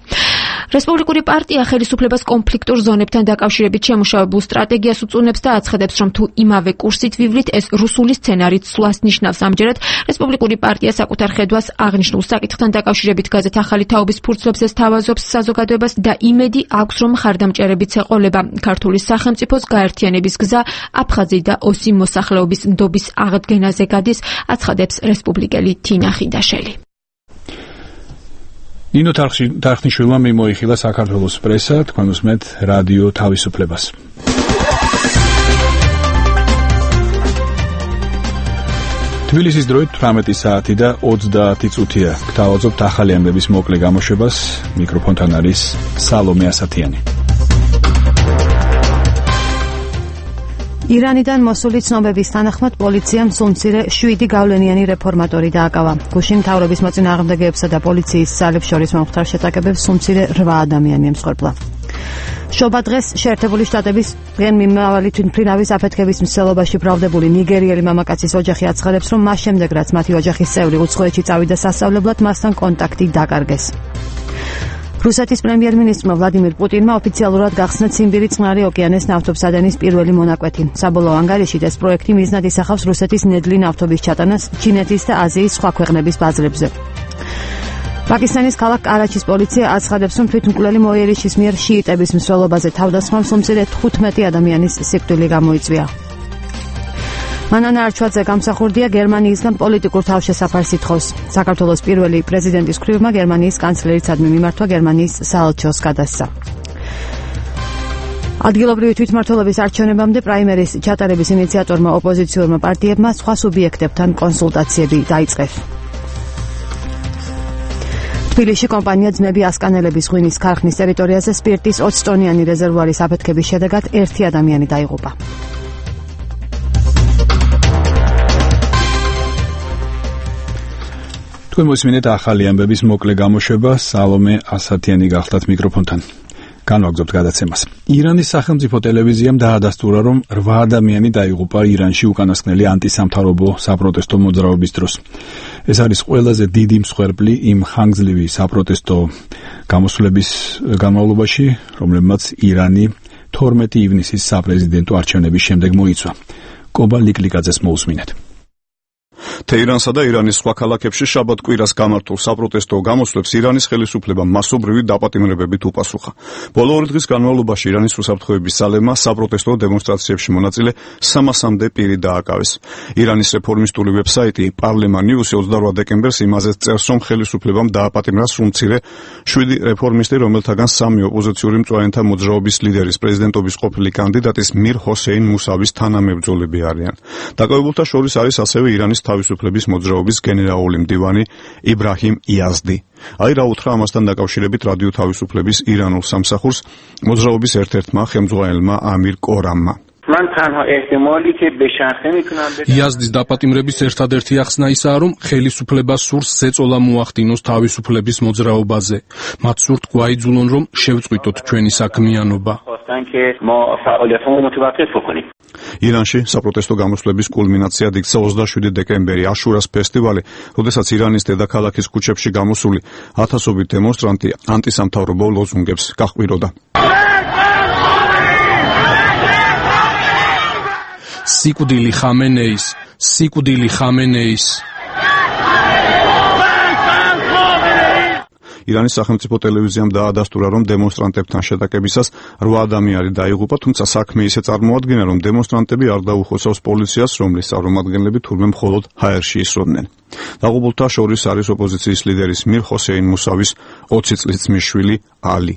რესპუბლიკური პარტია ხელისუფლებას კონფლიქტურ ზონებთან დაკავშირებით შემუშავებულ სტრატეგიას უწუნებს და აცხადებს, რომ თუ იმავე კურსით ვივლით, ეს რუსული სცენარით სვლას ნიშნავს. ამჯერად რესპუბლიკური პარტია საკუთარ ხედვას აღნიშნულ საკითხთან დაკავშირებით გაზეთ ახალი თაობის ფურცლებზე სთავაზობს საზოგადოებას და იმედი აქვს, რომ ხარდამჭერებიც ეყოლება. ქართული სახელმწიფოს გაერთიანების გზა აფხაზი და ოსი მოსახლეობის ნდობის აღდგენაზე გადის, აცხადებს რესპუბლიკელი თინა ხიდაშელი. ნინო თარხნიშვილმა მიმოიხილა საქართველოს პრესა, თქვენ უსმენთ რადიო თავისუფლებას. თბილისის დროით თვრამეტი საათი და ოცდაათი წუთია. გთავაზობთ ახალი ამბების მოკლე გამოშვებას. მიკროფონთან არის სალომე ასათიანი. ირანიდან მოსული ცნობების თანახმად პოლიციამ სულმცირე შვიდი გავლენიანი რეფორმატორი დააკავა. გუშინ მთავრობის მოწინააღმდეგეებსა და პოლიციის ძალებს შორის მომხდარ შეტაკებებს სულმცირე რვა ადამიანი ემსხვერპლა. შობა დღეს შეერთებული შტატების დღემიმავალი თვითმფრინავის აფეთქების მსვლელობაში ბრალდებული ნიგერიელი მამაკაცის ოჯახი აცხადებს, რომ მას შემდეგ რაც მათი ოჯახის წევრი უცხოეთში წავიდა სასწავლებლად, მასთან კონტაქტი დაკარგეს. რუსეთის პრემიერ-მინისტრმა ვლადიმირ პუტინმა ოფიციალურად გახსნა ციმბირი წყნარი ოკეანის ნავთობსადენის პირველი მონაკვეთი. საბოლოო ანგარიშით ეს პროექტი მიზნად ისახავს რუსეთის ნედლი ნავთობის ჩატანას ჩინეთის და აზიის სხვა ქვეყნების ბაზრებზე. პაკისტანის ქალაქ კარაჩის პოლიცია აცხადებს, რომ თვითმკვლელი მოიერიშის მიერ შიიტების მსვლელობაზე თავდასხმამ სულმცირე თხუთმეტი ადამიანის სიკვდილი გამოიწვია. მანანა არჩვაძე გამსახურდია გერმანიისგან პოლიტიკურ თავშესაფარს ითხოვს. საქართველოს პირველი პრეზიდენტის მხრივმა გერმანიის კანცლერიცადმი მიმართვა გერმანიის საელჩოს გადასცა. ადგილობრივი თვითმმართველობის არჩევნებამდე პრაიმერის ჩატარების ინიციატორმა ოპოზიციურმა პარტიებმა სხვა სუბიექტებთან კონსულტაციები დაიწყეს. თბილისში კომპანია ძმები ასკანელების ღვინის ქარხნის ტერიტორიაზე სპირტის ოცი ტონიანი რეზერვუარის აფეთქების შედეგად ერთი ადამიანი დაიღუპა. თქვენ მოსმინეთ ახალი ამბების მოკლე გამოშვება. სალომე ასათიანი გახლავთ მიკროფონთან. განვაგრძობთ გადაცემას. ირანის სახელმწიფო ტელევიზიამ დაადასტურა, რომ რვა ადამიანი დაიღუპა ირანში უკანასკნელი ანტისამთავრობო საპროტესტო მოძრაობის დროს. ეს არის ყველაზე დიდი მსხვერპლი იმ ხანგრძლივი საპროტესტო გამოსვლების განმავლობაში, რომლებმაც ირანი თორმეტი ივნისის საპრეზიდენტო არჩევნების შემდეგ მოიცვა. კობა ლიკლიკაძეს მოусმინეთ. თეირანსა და ირანის სხვა ქალაქებში შაბათ კვირას გამართულ საპროტესტო გამოსვლებს ირანის ხელისუფლება მასობრივი დაპატიმრებებით უპასუხა. ბოლო ორი დღის განმავლობაში ირანის უსაფრთხოების ძალებმა საპროტესტო დემონსტრაციებში მონაწილე სამასამდე პირი დააკავეს. ირანის რეფორმისტული ვებსაიტი პარლემა ნიუსი ოცდარვა დეკემბერს იმაზე წერს, რომ ხელისუფლებამ დააპატიმრა სრულმცირე შვიდი რეფორმისტი, რომელთაგან სამი ოპოზიციური მწვანეთა მოძრაობის ლიდერის პრეზიდენტობის ყოფილი კანდიდატის მիր ჰოსეინ მუსავის თანამებრძოლები არიან. დაკავებულთა შორის არის ასევე ირანის თავისუფლების მოძრაობის გენერალური მდივანი იბრაჰიმ იაზდი. აი რა უთხრა ამასთან დაკავშირებით რადიო თავისუფლების ირანულ სამსახურს მოძრაობის ერთ-ერთმა ხელმძღვანელმა ამირ კორამმა. من تنها احتمالی که به شخصه میتونم იაზდის დაპატიმრების ერთადერთი ახსნა ისაა, რომ ხელისუფლებას სურს ზეწოლა მოახდინოს თავისუფლების მოძრაობაზე. მათ სურთ გვაიძულონ, რომ შევწყვიტოთ ჩვენი საქმიანობა. خواستن که ما فعالیتمون متوقف بکنیم. ირანში საპროტესტო გამოსვლების კულმინაციად იქცა ოცდაშვიდი დეკემბერი, აშურას ფესტივალი, როდესაც ირანის დედაქალაქის ქუჩებში გამოსული ათასობით დემონსტრანტი ანტისამთავრობო ლოზუნგებს გაჰყვიროდა. სიკვდილი ხამენეის, სიკვდილი ხამენეის. ირანის სახელმწიფო ტელევიზიამ დაადასტურა, რომ დემონსტრანტებთან შეტაკებისას რვა ადამიანი დაიღუპა, თუმცა საქმე ისე წარმოადგინა, რომ დემონსტრანტები არ დაუხოცავს პოლიციას, რომლის წარმომადგენლები თურმე მხოლოდ ჰაერში ისროდნენ. დაღუპულთა შორის არის ოპოზიციის ლიდერის მირ ჰოსეინ მუსავის ოცი წლის ძმის შვილი ალი.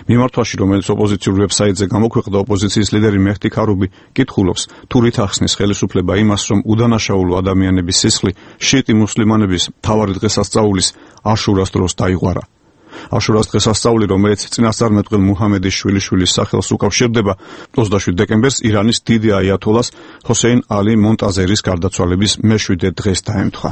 მიმართვაში, რომელიც ოპოზიციურ ვებსაიტზე გამოქვეყნდა, ოპოზიციის ლიდერი მეჰდი ქარუბი კითხულობს, თუ რით ახსნის ხელისუფლება იმას, რომ უდანაშაულო ადამიანების სისხლი შიიტი მუსლიმანების მთავარი დღესასწაულის აშურას დროს დაიღვარა. აშურას დღესასწაული, რომელიც წინასწარმეტყველ მუჰამედის შვილიშვილის სახელს უკავშირდება, ოცდაშვიდ დეკემბერს ირანის დიდი აიათოლას ჰოსეინ ალი მონტაზერის გარდაცვალების მეშვიდე დღეს დაემთხვა.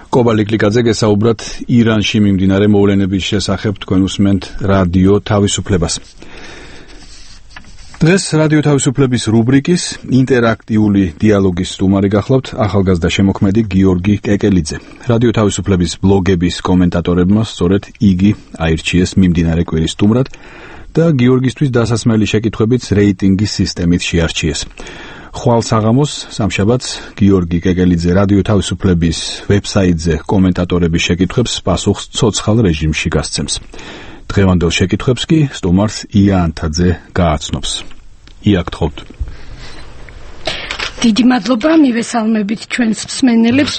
კობალი კლიკაძე გესაუბრათ ირანში მიმდინარე მოვლენების შესახებ, თქვენ უსმენთ რადიო თავისუფლებას. დღეს რადიო თავისუფლების რუბრიკის ინტერაქტიული დიალოგის სტუმარი გახლავთ ახალგაზრდა შემოქმედი გიორგი კეკელიძე. რადიო თავისუფლების ბლოგების კომენტატორებმა სწორედ იგი აირჩიეს მიმდინარე კვირის სტუმრად და გიორგისთვის დასასმელი შეკითხვებიც რეიტინგის სისტემით შეარჩიეს. ხვალ საღამოს სამშაბათს გიორგი კეკელიძე რადიო თავისუფლების ვებსაიტზე კომენტატორების შეკითხვებს პასუხს ცოცხალ რეჟიმში გასცემს. დღევანდელ შეკითხვებს კი სტუმარს ია ანთაძე გააცნობს. ია, გთხოვთ. დიდი მადლობა, მივესალმებით ჩვენს მსმენელებს.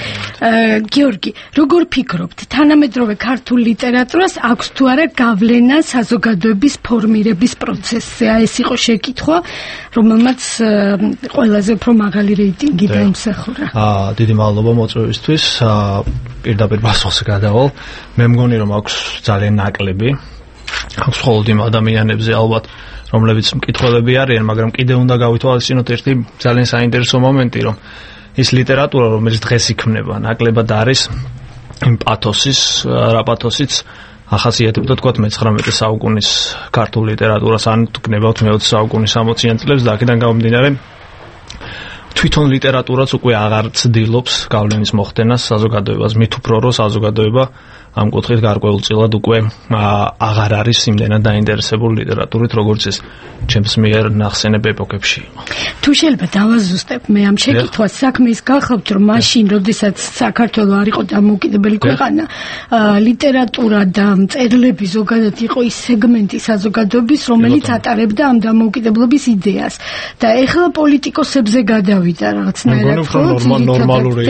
გიორგი, როგორ ფიქრობთ, თანამედროვე ქართულ ლიტერატურას აქვს თუ არა გავლენა საზოგადოების ფორმირების პროცესზე? ეს იყო შეკითხვა, რომელმაც ყველაზე უფრო მაღალი რეიტინგი დაიმსახურა. აა, დიდი მადლობა მოწვევისთვის. აა, პირდაპირ პასუხს გადავალ. მე მგონი, რომ აქვს ძალიან ნაკლები. აქვს მხოლოდ იმ ადამიანებზე ალბათ, რომლებიც მკითხველები არიან, მაგრამ კიდე უნდა გავითვალისწინოთ ერთი ძალიან საინტერესო მომენტი, რომ ის ლიტერატურა, რომელიც დღეს იქმნება, ნაკლებად არის იმ პათოსის, რა პათოსიც ახასიათებდა თქვათ მეცხრამეტე საუკუნის ქართულ ლიტერატურას, ან გნებავთ მეოცე საუკუნის სამოციან წლებს და აქედან გამომდინარე თვითონ ლიტერატურაც უკვე აღარ ცდილობს გავლენის მოხდენას საზოგადოებას, მით უფრო რომ საზოგადოება ამ კუთხით გარკვეულწილად უკვე აღარ არის იმდენად დაინტერესებული ლიტერატურით, როგორც ეს ჩემს მიერ ნახსენებ ეპოქებში. თუ შეიძლება დავაზუსტებ მე ამ შეკითხვას, საქმე ის გახლავთ, რომ მაშინ, როდესაც საქართველო არ იყო დამოუკიდებელი ქვეყანა, ლიტერატურა და მწერლები ზოგადად იყო ის სეგმენტი საზოგადოების, რომელიც ატარებდა ამ დამოუკიდებლობის იდეას. და ეხლა პოლიტიკოსებზე გადავიდა რაღაცნაირად ნორმალური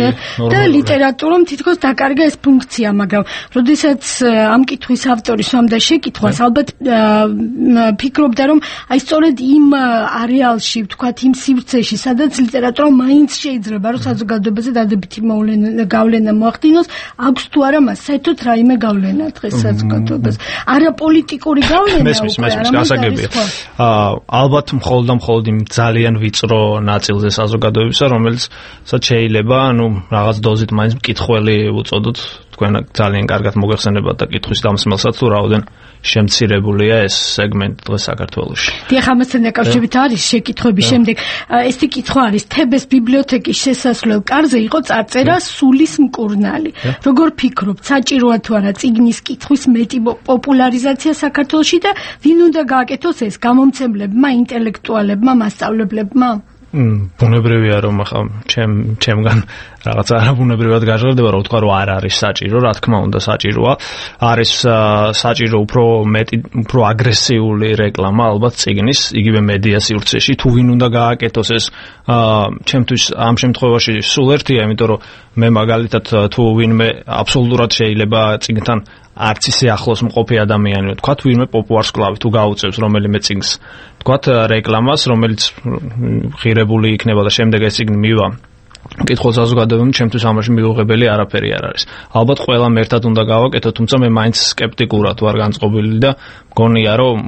და ლიტერატურამ თითქოს დაკარგა ეს ფუნქცია, მაგრამ როდესაც ამ კითხვის ავტორი სვამდა შეკითხვას, ალბათ ფიქრობდა, რომ აი სწორედ იმ არეალში, ვთქვათ, იმ სივრცეში, სადაც ლიტერატურა მაინც შეიძლება, რომ საზოგადოებაზე დადებითი გავლენა მოახდინოს, აქვს თუ არა მას საერთოდ რაიმე გავლენა დღეს საზოგადოებაზე. არა პოლიტიკური გავლენა უკვე, გასაგებია. ალბათ მხოლოდ და მხოლოდ იმ ძალიან ვიწრო ნაწილზე საზოგადოებისა, რომელსაც შეიძლება, ანუ რაღაც დოზით მაინც მკითხველი უწოდოთ, თქვენ ძალიან კარგად მოგეხსენებათ და კითხვის დამსმელსაც თუ რაოდენ შემცირებულია ეს სეგმენტი დღეს საქართველოში. დიახ, ამასთან დაკავშირებით არის შეკითხვების შემდეგ. ესეთი კითხვა არის, თებეს ბიბლიოთეკის შესასვლელ კარზე იყო წარწერა სულის მკურნალი. როგორ ფიქრობთ, საჭიროა თუ არა წიგნის კითხვის მეტი პოპულარიზაცია საქართველოში და ვინ უნდა გააკეთოს ეს, გამომცემლებმა, ინტელექტუალებმა, მასწავლებლებმა? ბუნებრივია რომ ახლა ჩემ ჩემგან რაღაცა არაბუნებრივად გაჟღერდება, რომ ვთქვა რომ არ არის საჭირო, რა თქმა უნდა საჭიროა. არის საჭირო უფრო მეტი, უფრო აგრესიული რეკლამა ალბათ წიგნის, იგივე მედია სივრცეში, თუ ვინ უნდა გააკეთოს ეს, ჩემთვის ამ შემთხვევაში სულ ერთია, იმიტომ რომ მე მაგალითად თუ ვინმე აბსოლუტურად შეიძლება წიგნთან არც ისე ახლოს მყოფი ადამიანი, თქვათ ვინმე პოპულარს კლავი თუ გაუწევს რომელიმე წიგნს, თქვათ რეკლამას, რომელიც ღირებული იქნება და შემდეგ ეს წიგნი მივა მკითხველს საზოგადოებამ, ჩემთვის ამაში მიუღებელი არაფერი არ არის. ალბათ ყველამ ერთად უნდა გავაკეთო, თუმცა მე მაინც სკეპტიკურად ვარ განწყობილი და მგონია რომ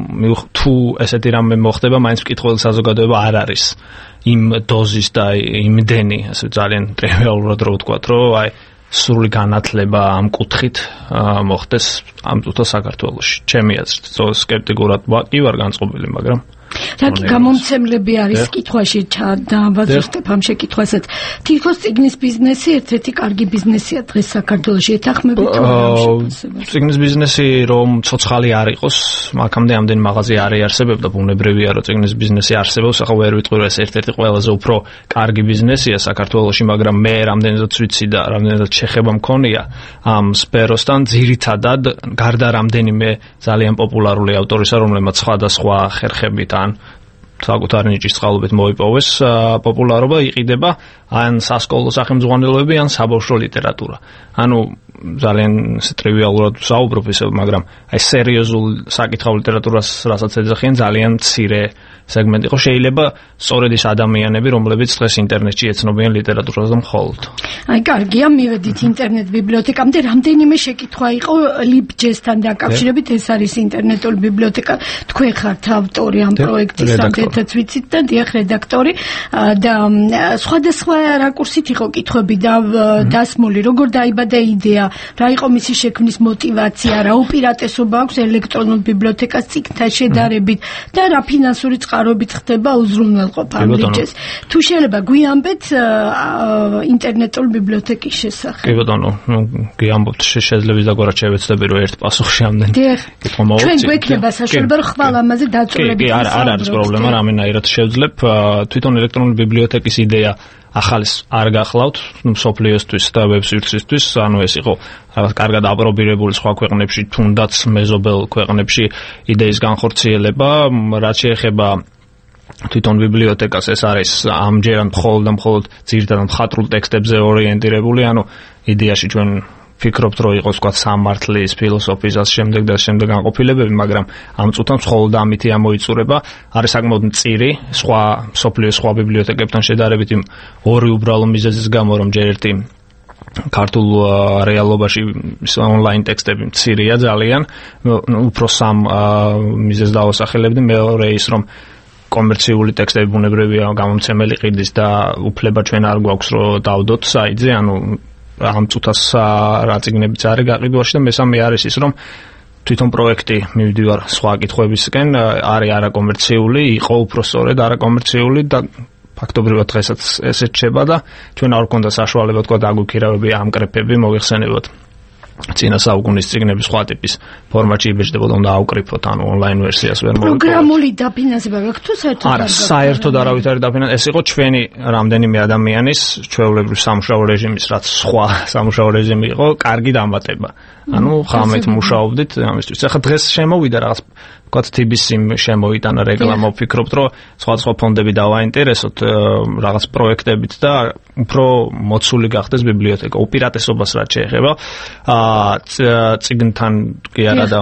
თუ ესეთი რამე მოხდება, მაინც მკითხველის საზოგადოება არ არის იმ დოზის და იმდენი, ასე ძალიან ტრივიალურად რო ვთქვათ, რომ აი სრული განათლება ამ კუთხით მოხდეს ამ თუთა საქართველოში. ჩემი აზრით, სკეპტიკურად კი ვარ განწყობილი, მაგრამ რაკი გამომცემლები არის კითხვაში დაავადოთ ამ შეკითხვასაც. თითქოს წიგნის ბიზნესი ერთ-ერთი კარგი ბიზნესია დღეს საქართველოში ეთანხმებით თუ არა? წიგნის ბიზნესი რომ ცოცხალი არ იყოს, აქამდე ამდენი მაღაზია არ იარსებებდა, ბუნებრივია რომ წიგნის ბიზნესი არსებობს, ახლა ვერ ვიტყვი რომ ეს ერთ-ერთი ყველაზე უფრო კარგი ბიზნესია საქართველოში, მაგრამ მე რამდენადაც ვიცი და რამდენადაც შეხება მქონია ამ სფეროსთან, ძირითადად გარდა რამდენიმე ძალიან პოპულარული ავტორისა, რომლებმაც სხვადასხვა ხერხებით ან საკუთარი ნიჭის წყალობით მოიპოვეს პოპულარობა, იყიდება ან სასკოლო სახელმძღვანელოები, ან საბავშვო ლიტერატურა. ანუ ძალიან ტრივიალურად ვსაუბრობ ისე, მაგრამ აი სერიოზულ საკითხავ ლიტერატურას, რასაც ეძახიან, ძალიან მცირე სეგმენტი იყო. შეიძლება სწორედ ის ადამიანები, რომლებიც დღეს ინტერნეტში ეცნობიან ლიტერატურას და მხოლოდ. აი კარგია, მივედით ინტერნეტ ბიბლიოთეკამდე. რამდენიმე შეკითხვა იყო ლიბჯესთან დაკავშირებით, ეს არის ინტერნეტული ბიბლიოთეკა. თქვენ ხართ ავტორი ამ პროექტის, რამდენადაც ვიცით და დიახ, რედაქტორი და სხვადასხვა რაკურსით იყო კითხვები და დასმული, როგორ დაიბადა იდეა, რა იყო მისი შექმნის мотиваცია, რა უპირატესობა აქვს ელექტრონულ ბიბლიოთეკას წიგნთან შედარებით და რა ფინანსური წყაროებით ხდება უზრუნველყოფა ამ ლიბჯეს. თუ შეიძლება გვიამბეთ ინტერნეტულ ბიბლიოთეკის შესახებ. კი ბატონო, გიამბობთ, შეიძლება დაგვარად შევეცდები რომ ერთ პასუხში ამდენ კითხვა მოვუწიოთ. ჩვენ გვექნება საშუალება რომ ხვალ ამაზე დაწურებით. კი, არ არ არის პრობლემა, რამენაირად შევძლებ. თვითონ ელექტრონული ბიბლიოთეკის იდეა ახალს არ გახლავთ მსოფლიოსთვის და ვებსვირთისთვის, ანუ ეს იყო რაღაც კარგად აპრობირებული სხვა ქვეყნებში, თუნდაც მეზობელ ქვეყნებში იდეის განხორციელება, რაც შეეხება თვითონ ბიბლიოთეკას, ეს არის ამჯერად მხოლოდ და მხოლოდ ძირითადად მხატვრულ ტექსტებზე ორიენტირებული, ანუ იდეაში ჩვენ ფიქრობთ, რომ იყოს თქვა სამართლის, ფილოსოფიის და შემდეგ და შემდეგ განყოფილებები, მაგრამ ამ წუთან მხოლოდ ამითი ამოიწურება. არის საკმაოდ მწირი, სხვა მსოფლიოს სხვა ბიბლიოთეკებთან შედარებით იმ ორი უბრალო მიზეზის გამო, რომ ჯერ ერთი ქართულ რეალობაში ონლაინ ტექსტები მცირეა ძალიან, უფრო სამ მიზეზს დავასახელებდი. მეორე ის, რომ კომერციული ტექსტები ბუნებრივია გამომცემელი ყიდის და უფლება ჩვენ არ გვაქვს რომ დავდოთ საიტზე, ანუ ამ წუთას რა წიგნებიც არის გაყიდვაში და მესამე არის ის, რომ თვითონ პროექტი მივდივარ სხვა კითხვებისკენ, არის არაკომერციული, იყო უფრო სწორედ არაკომერციული და ფაქტობრივად დღესაც ესე რჩება და ჩვენ არ გვქონდა საშუალება თქვა დაგვიქირავები ამკრეფები მოიხსენებოდ. წინა საუკუნის წიგნების სხვა ტიპის ფორმატში იბეჭდებოდა, უნდა აუკრიფოთ, ანუ ონლაინ ვერსიას ვერ მოვიყო. პროგრამული დაფინანსება გაქვთ თუ საერთოდ? არა, საერთოდ არავით არ დაფინანსება. ეს იყო ჩვენი რამდენიმე ადამიანის ჩვეულებრივ სამუშაო რეჟიმის, რაც სხვა სამუშაო რეჟიმი იყო, კარგი დამატება. ანუ ხამეთ მუშაობდით ამისთვის. ახლა დღეს შემოვიდა რაღაც ვთქვათ თიბის იმ შემოიტანა რეკლამა, ვფიქრობთ, რომ სხვადასხვა ფონდები დავაინტერესოთ რაღაც პროექტებით და უფრო მოცული გახდეს ბიბლიოთეკა. უპირატესობას რაც შეეხება წიგნთან კი არა და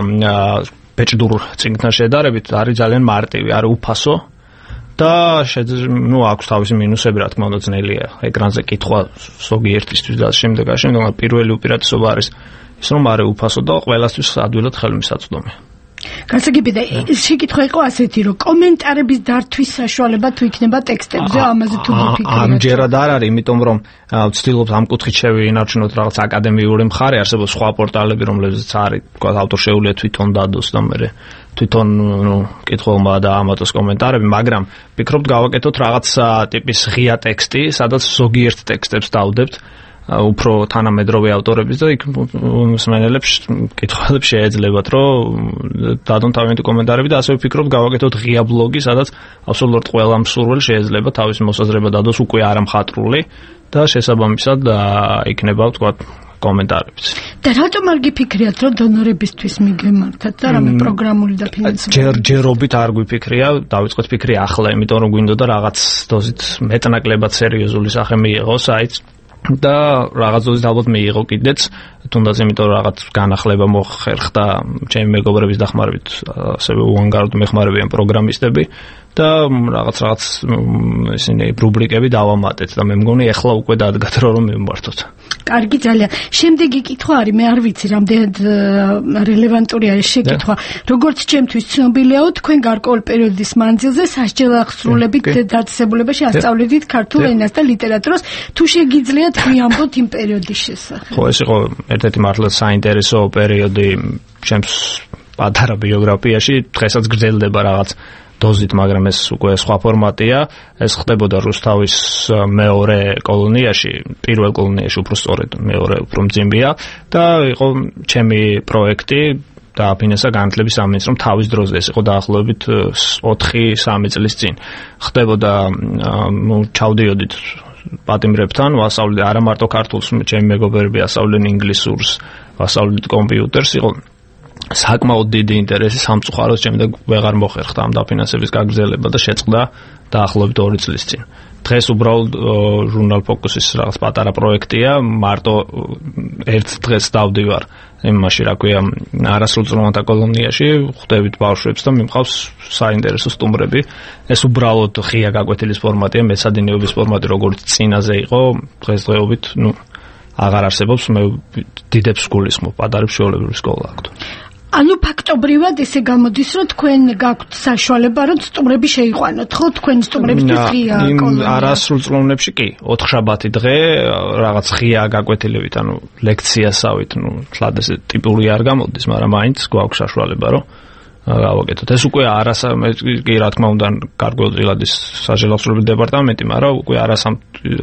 ბეჭდურ წიგნთან შედარებით არის ძალიან მარტივი, არის უფასო და ნუ აქვს თავისი მინუსები, რა თქმა უნდა, ძნელია ეკრანზე კითხვა ზოგიერთისთვის და შემდეგ და შემდეგ. პირველი უპირატესობა არის ის, რომ არის უფასო და ყველასთვის ადვილად ხელმისაწვდომი. გასაგებია, შეკითხვა იყო ასეთი, რომ კომენტარების დართვის საშუალება თუ იქნება ტექსტებზე, ამაზე თუ გიფიქრებთ? ამჯერად არ არის, იმიტომ რომ ვცდილობთ ამ კუთხით შევინარჩუნოთ რაღაც აკადემიური მხარე, არსებობს სხვა პორტალები, რომლებზეც არის, თქვა ავტორ შეუძლია თვითონ დადოს და მე თვითონ ნუ კითხულმა და ამატოს კომენტარები, მაგრამ ვფიქრობთ გავაკეთოთ რაღაც ტიპის ღია ტექსტი, სადაც ზოგიერთ ტექსტებს დავდებთ უფრო თანამედროვე ავტორების და იქ მსმენელებს კითხვებს შეეძლებათ, რომ დადონ თავიანთი კომენტარები და ასე ვფიქრობ გავაკეთოთ ღია ბლოგი, სადაც აბსოლუტურად ყველა მსურველი შეიძლება თავის მოსაზრება დადოს უკვე არამხატრული და შესაბამისად იქნება თქვა კომენტარებიც. და რატომ არ გიფიქრიათ, რომ დონორებისთვის მიგემართათ და რამე პროგრამული დაფინანსება? ჯერ ჯერობით არ გვიფიქრია, დავიწყოთ ფიქრი ახლა, იმიტომ რომ გვინდოდა რაღაც დოზით მეტნაკლებად სერიოზული სახე მიიღო საიტს და რაღაც დოზით ალბათ მიიღო კიდეც, თუნდაც იმიტომ რომ რაღაც განახლება მოხერხდა ჩემი მეგობრების დახმარებით, ასევე უანგაროდ მეხმარებიან პროგრამისტები და რაღაც რაღაც ისინი რუბრიკები დავამატეთ და მე მგონი ახლა უკვე დადგათ რომ მივმართოთ. კარგი, ძალიან. შემდეგი კითხვა არის, მე არ ვიცი რამდენად რელევანტური არის შეკითხვა. როგორც ჩემთვის ცნობილიაო, თქვენ გარკვეულ პერიოდის მანძილზე სასჯელ აღსრულებით დაწესებულებაში ასწავლედით ქართულ ენას და ლიტერატურას. თუ შეგიძლიათ გვიამბოთ იმ პერიოდის შესახებ? ხო, ეს იყო ერთ-ერთი მართლა საინტერესო პერიოდი ჩემს პატარა ბიოგრაფიაში, დღესაც გრძელდება რაღაც დოზით, მაგრამ ეს უკვე სხვა ფორმატია. ეს ხდებოდა რუსთავის მეორე კოლონიაში, პირველ კოლონიაში უფრო სწორედ, მეორე უფრო მძიმეა და იყო ჩემი პროექტი დააფინანსა განათლების სამინისტრომ, რომ თავის დროზე ეს იყო დაახლოებით ოთხი სამი წლის წინ. ხდებოდა, ნუ ჩავდიოდით პატიმრებთან, ვასწავლეთ არა მარტო ქართულს, ჩემი მეგობრები ასწავლენ ინგლისურს, ვასწავლეთ კომპიუტერს, იყო საკმაოდ დიდი ინტერესი სამწუხაროდ შემდეგ ვეღარ მოხერხდა ამ დაფინანსების გაგრძელება და შეწყდა დაახლოებით ორი წლის წინ. დღეს უბრალოდ ჟურნალ ფოკუსის რაღაც პატარა პროექტია, მარტო ერთ დღეს დავდივარ იმაში, რა ქვია, არასრულწლოვანთა კოლონიაში, ხვდებით ბავშვებს და მიმყავს საინტერესო სტუმრები. ეს უბრალოდ ღია გაკვეთილის ფორმატია, მეცადინეობის ფორმატი, როგორც წინაზე იყო, დღესდღეობით, ნუ აღარ არსებობს, მე დიდებს გულისხმობ, პატარებს ჩვეულებრივი სკოლა აქვთ. ანუ ფაქტობრივად ესე გამოდის, რომ თქვენ გაქვთ საშუალება, რომ სტუმრები შეიყვანოთ, ხო, თქვენ სტუმრებისთვის ღია კოლონია. არასრულწლოვნებში კი, ოთხშაბათი დღე რაღაც ღია გაკვეთილებით, ანუ ლექციასავით, ნუ თლად ესე ტიპური არ გამოდის, მაგრამ მაინც გვაქვს საშუალება, რომ გავაკეთოთ. ეს უკვე არასა კი რა თქმა უნდა გარკვეულწილად ის საჟელახსოვრების დეპარტამენტი, მაგრამ უკვე არასამ